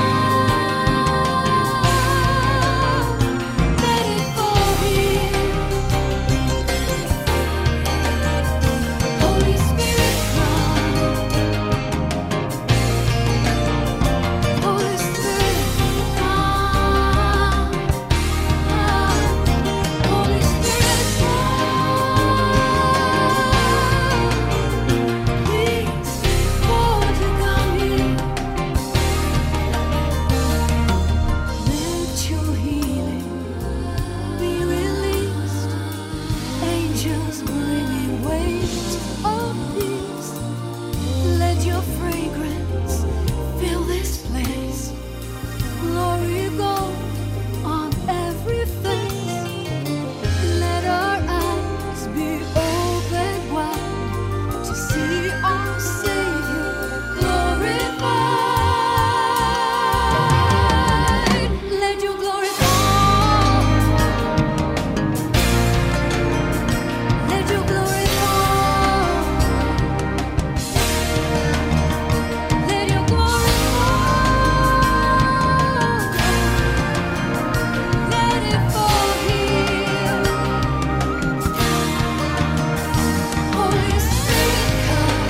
Let it fall here. Holy Spirit, come. Holy Spirit, come. Holy Spirit, come. Please, won't you come here? Let your healing be released. Angels bringing weight of peace. Let your fragrance fill this place. Glory go on every face. Let our eyes be open wide to see our Savior glorified. Let your glory fall. Let your glory fall. Let your glory fall. Let it fall here. Holy Spirit, come.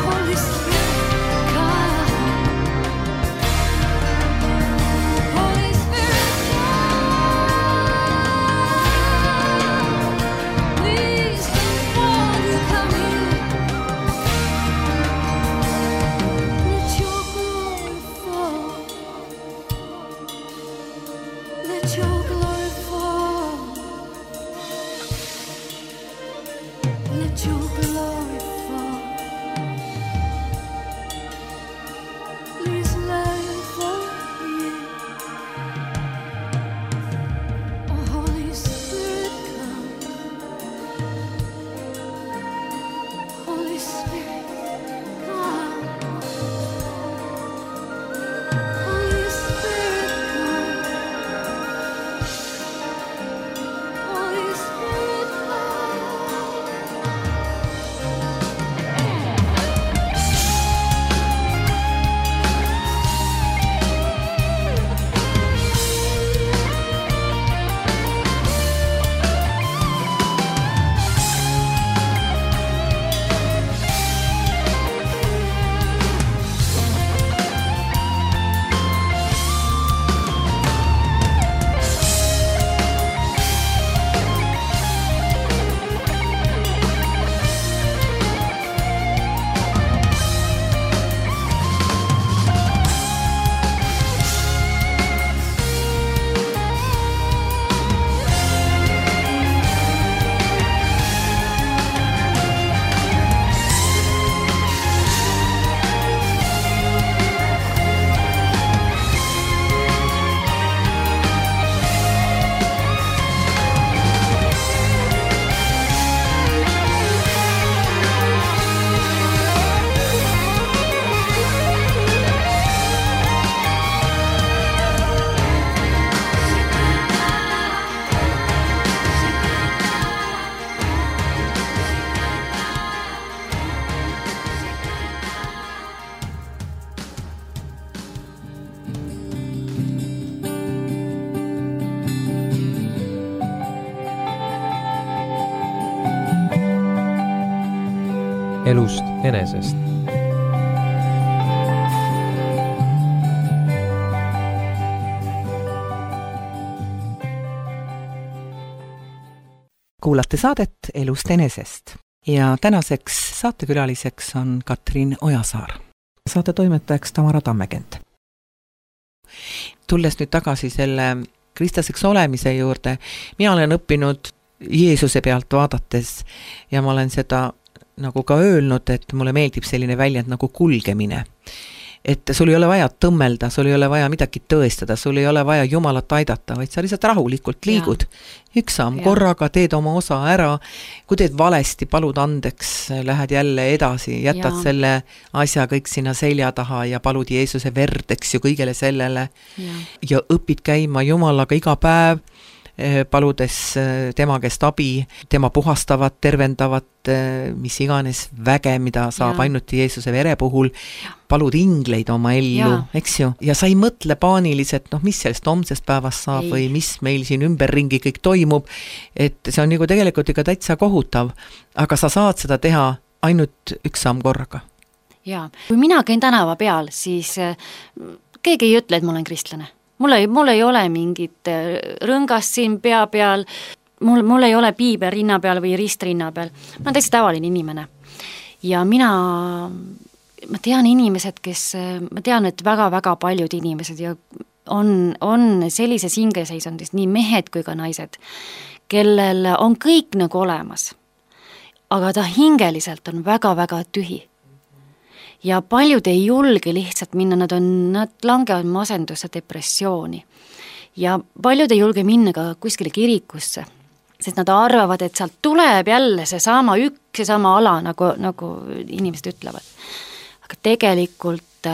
Holy Spirit, come. Holy Spirit, come. Please, won't you come here? Let your glory fall. Let your glory fall. Let your glory fall. Please let it fall here. Oh, Holy Spirit, come. Holy Spirit, come. Holy Spirit, come. Holy Spirit, elust enesest. Kuulate saadet Elust enesest ja tänaseks saatekülaliseks on Katrin Ojasaar. Saate toimetajaks Tamara Tammekent. Tulles nüüd tagasi selle kristlaseks olemise juurde, mina olen õppinud Jeesuse pealt vaadates ja ma olen seda nagu ka öelnud, et mulle meeldib selline väljend nagu kulgemine. et sul ei ole vaja tõmmelda, sul ei ole vaja midagi tõestada, sul ei ole vaja Jumalat aidata, vaid sa lihtsalt rahulikult liigud. Ja. Üks samm korraga, teed oma osa ära, kui teed valesti, palud andeks, lähed jälle edasi, jätad ja. Selle asja kõik sinna selja taha ja palud Jeesuse verd, eks ju, kõigele sellele ja, ja õpid käima Jumalaga iga päev, paludes tema käest abi, tema puhastavat, tervendavat, mis iganes väge, mida saab ja. Ainult Jeesuse vere puhul, palud ingleid oma ellu, ja. Eks ju, ja sa ei mõtle paaniliselt, noh, mis sellest homsest päevast saab ei. Või mis meil siin ümberringi kõik toimub, et see on nagu tegelikult ikka täitsa kohutav, aga sa saad seda teha ainult üks samm korraga. Jaa, kui mina käin tänava peal, siis keegi ei ütle, et ma olen kristlane. Mul ei, mul ei ole mingit rõngast siin pea peal, mul, mul ei ole piibel rinna peal või rist rinna peal. Ma olen täitsa tavaline inimene. Ja mina, ma tean inimesed, kes, ma tean, et väga-väga paljud inimesed ja on, on sellises hingeseisundis, nii mehed kui ka naised, kellel on kõik nagu olemas, aga ta hingeliselt on väga-väga tühi. Ja paljud ei julge lihtsalt minna, nad, on, nad langevad masendusse, depressiooni. Ja paljud ei julge minna ka kuskile kirikusse, sest nad arvavad, et sealt tuleb jälle see sama üks, see sama ala, nagu, nagu inimesed ütlevad. Aga tegelikult,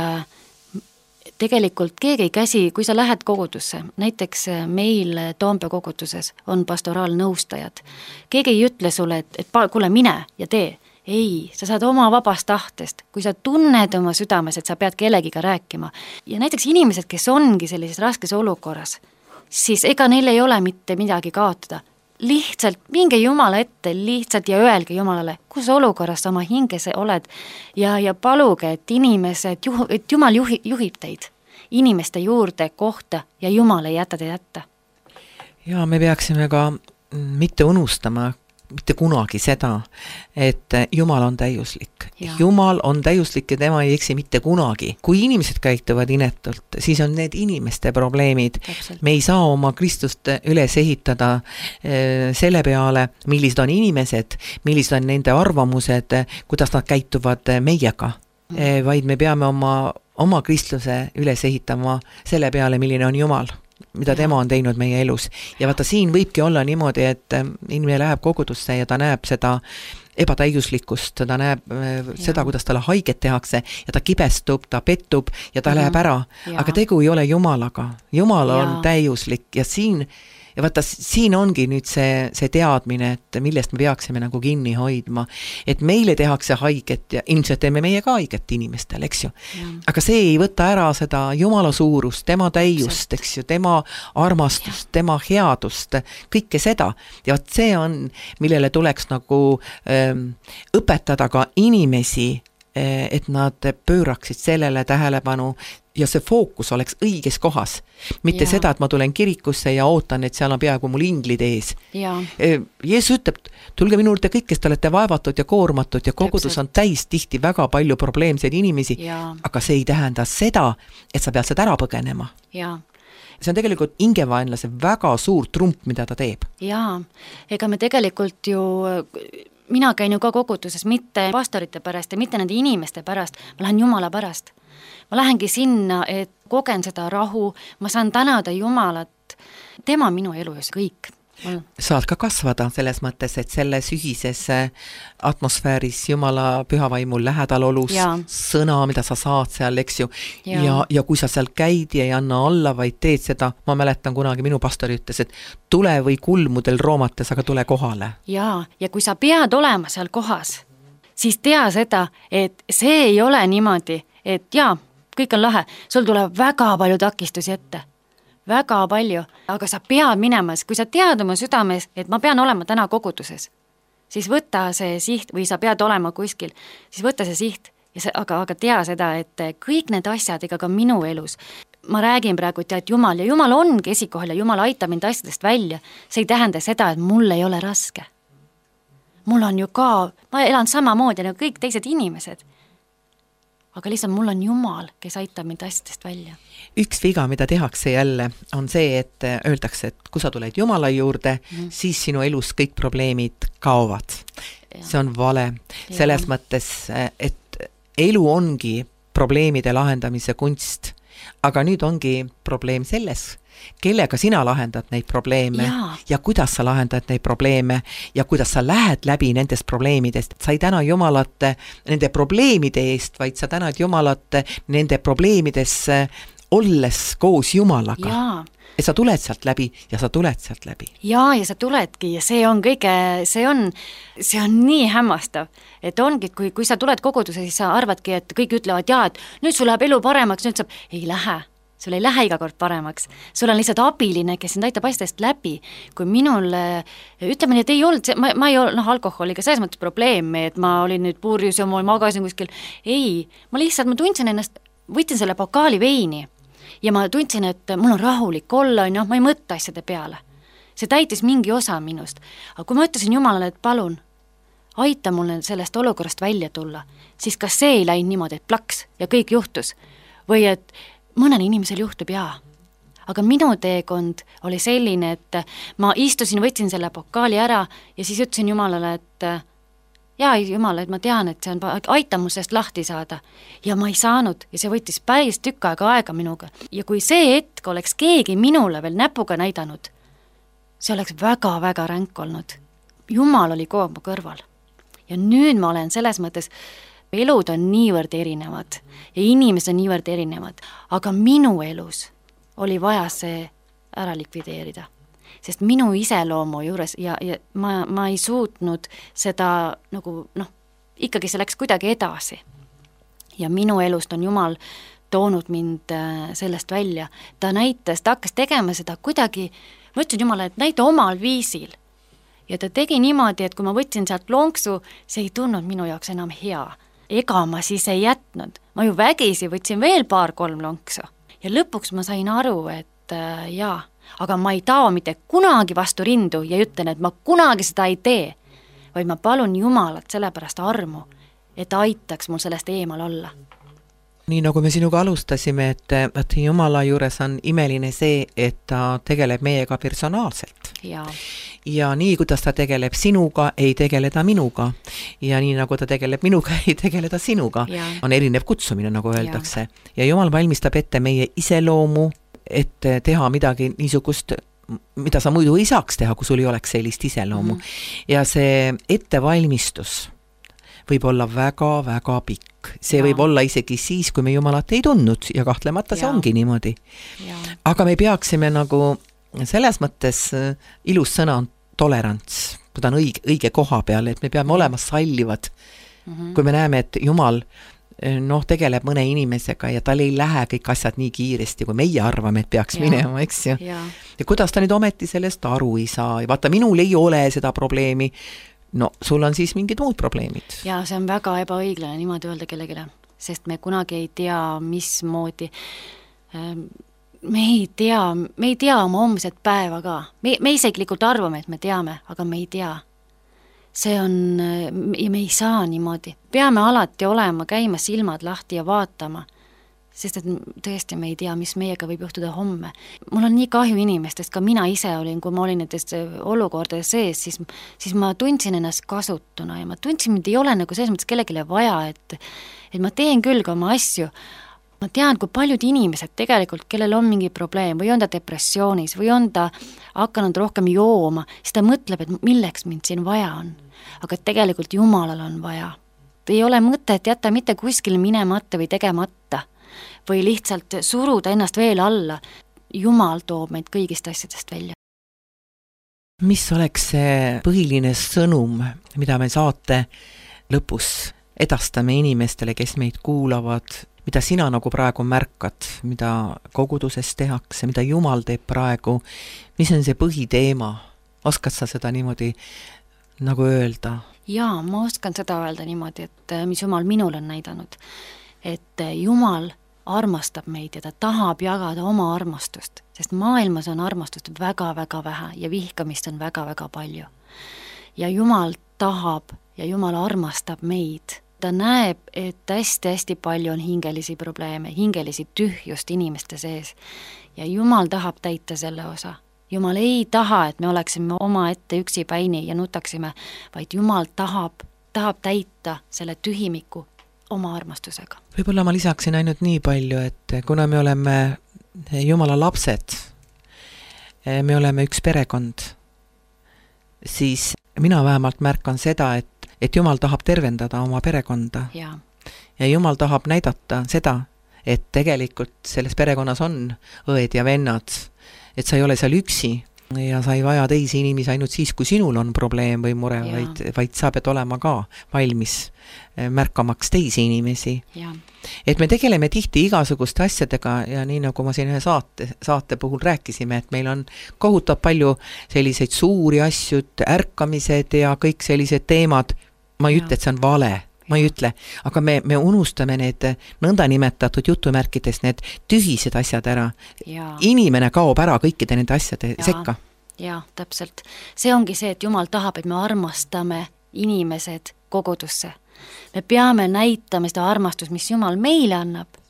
tegelikult keegi ei käsi, kui sa lähed kogudusse, näiteks meil Toompea koguduses on pastoraalnõustajad, keegi ei ütle sulle, et, et kuule, mine ja tee. Ei, sa saad oma vabast tahtest, kui sa tunned oma südames, et sa pead kellegiga rääkima. Ja näiteks inimesed, kes ongi sellises raskes olukorras, siis ega neil ei ole mitte midagi kaotada. Lihtsalt minge Jumala ette lihtsalt ja öelge Jumalale, kus olukorras sa oma hinges oled ja, ja paluge, et inimesed, et Jumal juhi, juhib teid inimeste juurde kohta ja Jumal ei jäta teid jätta. Ja me peaksime ka mitte unustama, mitte kunagi seda, et Jumal on täiuslik. Ja. Jumal on täiuslik ja tema ei eksi mitte kunagi. Kui inimesed käituvad inetult, siis on need inimeste probleemid. Täpselt. Me ei saa oma Kristust üles ehitada selle peale, millised on inimesed, millised on nende arvamused, kuidas nad käituvad meiega. Mm. Vaid me peame oma, oma Kristluse üles ehitama selle peale, milline on Jumal, mida tema on teinud meie elus. Ja vaata, siin võibki olla niimoodi, et inimene läheb kogudusse ja ta näeb seda ebatäiuslikkust, ta näeb ja. Seda, kuidas talle haiget tehakse ja ta kibestub, ta pettub ja ta ja. Läheb ära. Ja. Aga tegu ei ole Jumalaga. Jumal ja. On täiuslik ja siin ja vaata, siin ongi nüüd see, see teadmine, et millest me peaksime nagu kinni hoidma, et meile tehakse haiget ja ilmselt teeme meie ka haiget inimestel, eks ju. Ja. Aga see ei võta ära seda Jumala suurust, tema täiust, eks ju, tema armastust, ja. Tema headust, kõike seda. Ja vaat see on, millele tuleks nagu ähm, õpetada ka inimesi, et nad pööraksid sellele tähelepanu ja see fookus oleks õiges kohas. Mitte ja. Seda, et ma tulen kirikusse ja ootan, et seal on peaaegu mul inglid ees. Ja. Jeesus ütleb, tulge minu juurde kõik, kes te olete vaevatud ja koormatud ja kogudus on täis tihti väga palju probleemseid inimesi, ja. Aga see ei tähenda seda, et sa pead seda ära põgenema. Ja. See on tegelikult ingevaenlase väga suur trump, mida ta teeb. Jaa, ega me tegelikult ju mina käin ju ka koguduses mitte pastorite pärast ja mitte nende inimeste pärast, ma lähen Jumala pärast. Ma lähengi sinna, et kogen seda rahu, ma saan tänada Jumalat, tema minu elu ja kõik. Saad ka kasvada selles mõttes, et selles ühises atmosfääris Jumala pühavaimul lähedal olus, ja. Sõna, mida sa saad seal, eks ju, ja. Ja, ja kui sa seal käid ja ei anna alla, vaid teed seda, ma mäletan kunagi minu pastori ütles, et tule või kulmudel roomates, aga tule kohale. Ja, ja kui sa pead olema seal kohas, siis tea seda, et see ei ole niimoodi, et jaa, kõik on lahe, sul tuleb väga palju takistusi ette. Väga palju, aga sa pead minema, kui sa tead oma südames, et ma pean olema täna koguduses, siis võta see siht või sa pead olema kuskil, siis võta see siht, ja see, aga, aga tea seda, et kõik need asjad, ega ka minu elus, ma räägin praegu, et Jumal ja Jumal ongi esikohal ja Jumal aitab mind asjadest välja, see ei tähenda seda, et mul ei ole raske. Mul on ju ka, ma elan samamoodi nagu kõik teised inimesed. Aga lihtsalt mul on Jumal, kes aitab mind asjadest välja. Üks viga, mida tehakse jälle, on see, et öeldakse, et kui sa tuled Jumala juurde, mm. siis sinu elus kõik probleemid kaovad. Ja. See on vale. Ja. Selles mõttes, et elu ongi probleemide lahendamise kunst. Aga nüüd ongi probleem selles, kellega sina lahendad neid probleeme Jaa. ja kuidas sa lahendad neid probleeme ja kuidas sa lähed läbi nendest probleemidest. Sa ei täna Jumalat nende probleemide eest, vaid sa tänad Jumalat nende probleemidesse olles koos Jumalaga. Jaa. Ja sa tuled sealt läbi ja sa tuled sealt läbi. Jaa, ja sa tuledki ja see on kõige, see on, see on nii hämmastav, et ongi, kui, kui sa tuled koguduse, siis sa arvadki, et kõik ütlevad, jaa, et nüüd sul läheb elu paremaks, nüüd saab, ei lähe, sul ei lähe iga kord paremaks. Sul on lihtsalt abiline, kes sind aitab asjadest läbi. Kui minul, ütleme nii, et ei olnud, ma, ma ei olnud noh, alkoholiga selles mõttes probleemi, et ma olin nüüd purjus ja ma magasin kuskil. Ei, ma lihtsalt, ma tundsin ennast, võtsin selle pokaali veini ja ma tundsin, et mul on rahulik olla, no, ma ei mõtta asjade peale. See täitis mingi osa minust. Aga kui ma ütlesin Jumalale, et palun, aita mul sellest olukorrast välja tulla, siis kas see ei läinud niimoodi, et plaks ja kõik juhtus? Või et mõnel inimesel juhtub jaa. Aga minu teekond oli selline, et ma istusin, võtsin selle pokaali ära ja siis ütlesin Jumalale, et jaa, Jumal, et ma tean, et see on, aita mul sellest lahti saada. Ja ma ei saanud ja see võttis päris tükk aega aega minuga. Ja kui see hetk oleks keegi minule veel näpuga näidanud, see oleks väga-väga ränk olnud. Jumal oli kogu mu kõrval. Ja nüüd ma olen selles mõttes, elud on niivõrd erinevad ja inimesed on niivõrd erinevad, aga minu elus oli vaja see ära likvideerida. Sest minu iseloomu juures ja, ja ma, ma ei suutnud seda nagu, noh, ikkagi see läks kuidagi edasi. Ja minu elust on Jumal toonud mind sellest välja. Ta näitas, ta hakkas tegema seda kuidagi, ma ütlesin Jumala, et näita omal viisil. Ja ta tegi niimoodi, et kui ma võtsin sealt lonksu, see ei tunnud minu jaoks enam hea. Ega ma siis ei jätnud. Ma ju vägisi võtsin veel paar-kolm lonksu. Ja lõpuks ma sain aru, et äh, jaa, aga ma ei tao mitte kunagi vastu rindu ja ütlen, et ma kunagi seda ei tee, vaid ma palun Jumalat sellepärast armu, et aitaks mul sellest eemal olla. Nii nagu me sinuga alustasime, et, et Jumala juures on imeline see, et ta tegeleb meiega personaalselt. Ja, ja nii, kuidas ta tegeleb sinuga, ei tegele ta minuga. Ja nii, nagu ta tegeleb minuga, ei tegele ta sinuga. Ja. On erinev kutsumine, nagu öeldakse. Ja, ja Jumal valmistab ette meie iseloomu, et teha midagi niisugust, mida sa muidu ei saaks teha, kui sul ei oleks sellist iseloomu. Mm-hmm. Ja see ettevalmistus võib olla väga-väga pikk. See ja. Võib olla isegi siis, kui me Jumalat ei tundnud ja kahtlemata see ja. Ongi niimoodi. Ja. Aga me peaksime nagu selles mõttes ilus sõna on tolerants. Ta on õige, õige koha peal, et me peame olema sallivad. Mm-hmm. Kui me näeme, et Jumal noh, tegeleb mõne inimesega ja tal ei lähe kõik asjad nii kiiresti, kui meie arvame, et peaks ja. Minema, eks ju. Ja. Ja kuidas ta nüüd ometi sellest aru ei saa? Ja vaata, minul ei ole seda probleemi. No, sul on siis mingid muud probleemid. Ja see on väga ebaõiglane niimoodi öelda kellegile, sest me kunagi ei tea, mismoodi. Me ei tea, me ei tea oma homset päeva ka. Me, me isiklikult arvame, et me teame, aga me ei tea. See on, ja me ei saa niimoodi. Peame alati olema, käima silmad lahti ja vaatama, sest et tõesti me ei tea, mis meiega võib juhtuda homme. Mul on nii kahju inimestest, ka mina ise olin, kui ma olin nendest olukordades sees, siis, siis ma tundsin ennast kasutuna ja ma tundsin, et ei ole nagu selles mõttes kellegile vaja, et, et ma teen küll ka oma asju. Ma tean, kui paljud inimesed tegelikult, kellel on mingi probleem või on ta depressioonis või on ta hakanud rohkem jooma, siis ta mõtleb, et milleks mind siin vaja on. Aga tegelikult Jumalal on vaja. Ei ole mõtet jätta mitte kuskil minemata või tegemata või lihtsalt suruda ennast veel alla. Jumal toob meid kõigist asjadest välja. Mis oleks see põhiline sõnum, mida me saate lõpus edastame inimestele, kes meid kuulavad, mida sina nagu praegu märkad, mida koguduses tehakse, mida Jumal teeb praegu, mis on see põhiteema? Oskad sa seda niimoodi nagu öelda? Jaa, ma oskan seda öelda niimoodi, et mis Jumal minul on näidanud. Et Jumal armastab meid ja ta tahab jagada oma armastust, sest maailmas on armastust väga-väga vähe ja vihkamist on väga-väga palju. Ja Jumal tahab ja Jumal armastab meid. Ta näeb, et hästi-hästi palju on hingelisi probleeme, hingelisi tühjust inimeste sees ja Jumal tahab täita selle osa. Jumal ei taha, et me oleksime oma ette üksipäini ja nutaksime, vaid Jumal tahab, tahab täita selle tühimiku oma armastusega. Võib-olla ma lisaksin ainult nii palju, et kuna me oleme Jumala lapsed, me oleme üks perekond, siis mina vähemalt märkan seda, et, et Jumal tahab tervendada oma perekonda. Ja. Ja Jumal tahab näidata seda, et tegelikult selles perekonnas on õed ja vennad, et sa ei ole seal üksi ja sa ei vaja teisi inimesi ainult siis, kui sinul on probleem või mure, vaid, vaid sa pead olema ka valmis märkamaks teisi inimesi. Ja. Et me tegeleme tihti igasuguste asjadega ja nii nagu ma siin ühe saate, saate puhul rääkisime, et meil on kohutav palju selliseid suuri asju, ärkamised ja kõik sellised teemad. Ma ei ja. ütle, et see on vale, ma ei ütle, aga me, me unustame need nõnda nimetatud jutumärkides, need tühised asjad ära. Ja. Inimene kaob ära kõikide nende asjade ja. sekka. Ja, täpselt. See ongi see, et Jumal tahab, et me armastame inimesed kogudusse. Me peame näitama seda armastust, mis Jumal meile annab.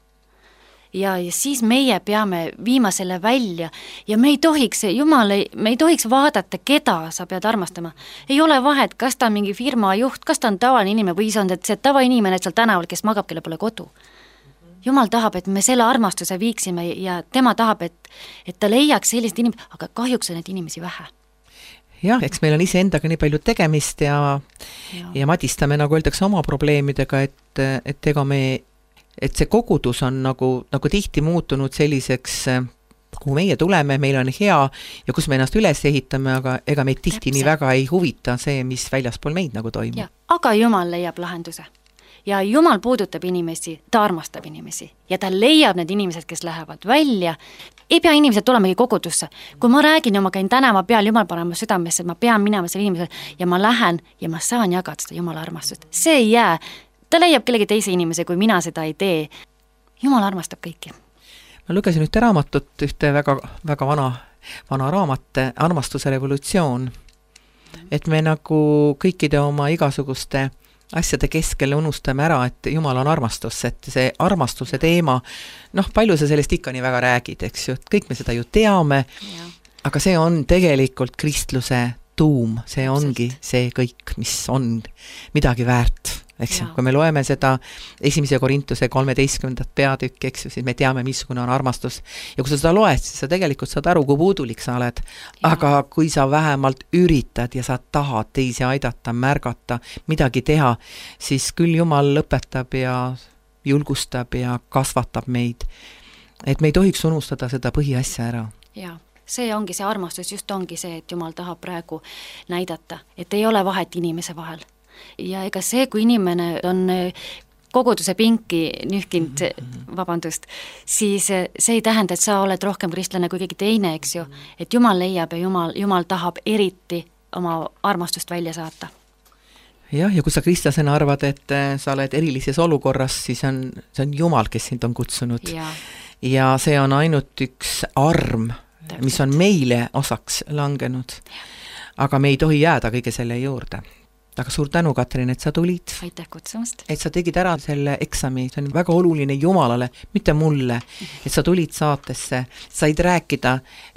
Ja, ja siis meie peame viima selle välja ja me ei tohiks, Jumal ei, me ei tohiks vaadata, keda sa pead armastama. Ei ole vahet, kas ta on mingi firma juht, kas ta on tavaline inimene või see on see tavainimene seal tänaval, kes magab, kelle pole kodu. Jumal tahab, et me selle armastuse viiksime ja tema tahab, et, et ta leiaks sellised inimesed, aga kahjuks on need inimesi vähe. Jah, eks meil on ise endaga nii palju tegemist ja, ja. ja madistame, nagu öeldakse, oma probleemidega, et, et ega me et see kogudus on nagu, nagu tihti muutunud selliseks, kuhu meie tuleme, meil on hea ja kus me ennast üles ehitame, aga ega meid tihti Täpselt. Nii väga ei huvita see, mis väljaspool meid nagu toimub. Aga Jumal leiab lahenduse. Ja Jumal puudutab inimesi, ta armastab inimesi ja ta leiab need inimesed, kes lähevad välja. Ei pea inimesed tulemegi kogudusse. Kui ma räägin ja ma käin tänava peal, Jumal panema südamesse, ma pean minema selle inimesele ja ma lähen ja ma saan jagada seda Jumala armastust. See ei jää. Ta leiab kellegi teise inimese, kui mina seda ei tee. Jumal armastab kõiki. Ma lugesin ühte raamatut, ühte väga, väga vana, vana raamat, Armastuse revolutsioon. Et me nagu kõikide oma igasuguste asjade keskel unustame ära, et Jumal on armastus, et see armastuse teema, noh, palju sa sellest ikka nii väga räägid, eks ju, kõik me seda ju teame, ja. Aga see on tegelikult kristluse tuum, see ongi see kõik, mis on midagi väärt, eks ju, kui me loeme seda esimese Korintuse kolmeteistkümnendat peatükki, eks ju, siis me teame, missugune on armastus ja kui sa seda loed, siis sa tegelikult saad aru, kui puudulik sa oled, ja. Aga kui sa vähemalt üritad ja sa tahad teisi aidata, märgata, midagi teha, siis küll Jumal lõpetab ja julgustab ja kasvatab meid, et me ei tohiks unustada seda põhiasja ära. Jaa. See ongi see armastus, just ongi see, et Jumal tahab praegu näidata, et ei ole vahet inimese vahel. Ja ega see, kui inimene on koguduse pinki nühkinud, vabandust, siis see ei tähenda, et sa oled rohkem kristlane kui keegi teine, eks ju, et Jumal leiab ja Jumal, Jumal tahab eriti oma armastust välja saata. Jah, ja kui sa kristlasena arvad, et sa oled erilises olukorras, siis on, see on Jumal, kes sind on kutsunud. Ja, ja see on ainult üks arm, Täpselt. Mis on meile osaks langenud. Aga me ei tohi jääda kõige selle juurde. Aga suur tänu, Katrin, et sa tulid. Aitäh kutsumast. Et sa tegid ära selle eksami, see on väga oluline Jumalale, mitte mulle, et sa tulid saatesse, said rääkida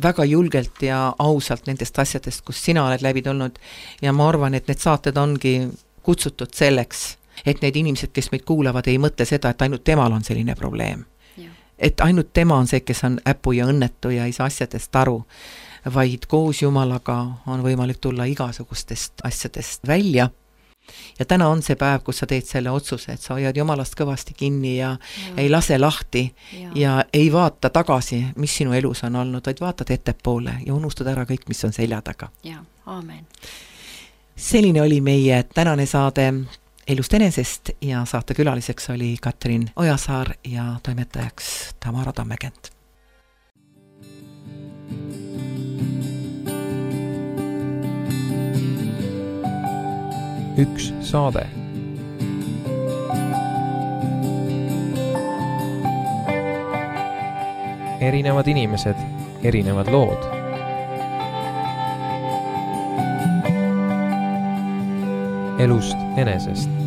väga julgelt ja ausalt nendest asjadest, kus sina oled läbi tulnud ja ma arvan, et need saated ongi kutsutud selleks, et need inimesed, kes meid kuulavad, ei mõtle seda, et ainult temal on selline probleem. Et ainult tema on see, kes on äpu ja õnnetu ja ei saa asjadest aru, vaid koos Jumalaga on võimalik tulla igasugustest asjadest välja. Ja täna on see päev, kus sa teed selle otsuse, et sa hoiad Jumalast kõvasti kinni ja, ja. Ei lase lahti ja. Ja ei vaata tagasi, mis sinu elus on olnud, vaid vaatad ettepoole ja unustad ära kõik, mis on selja taga. Ja, aamen. Selline oli meie tänane saade Elust enesest ja saate külaliseks oli Katrin Ojasaar ja toimetajaks Tamara Tammekent. Üks saade. Erinevad inimesed, erinevad lood. Elust enesest.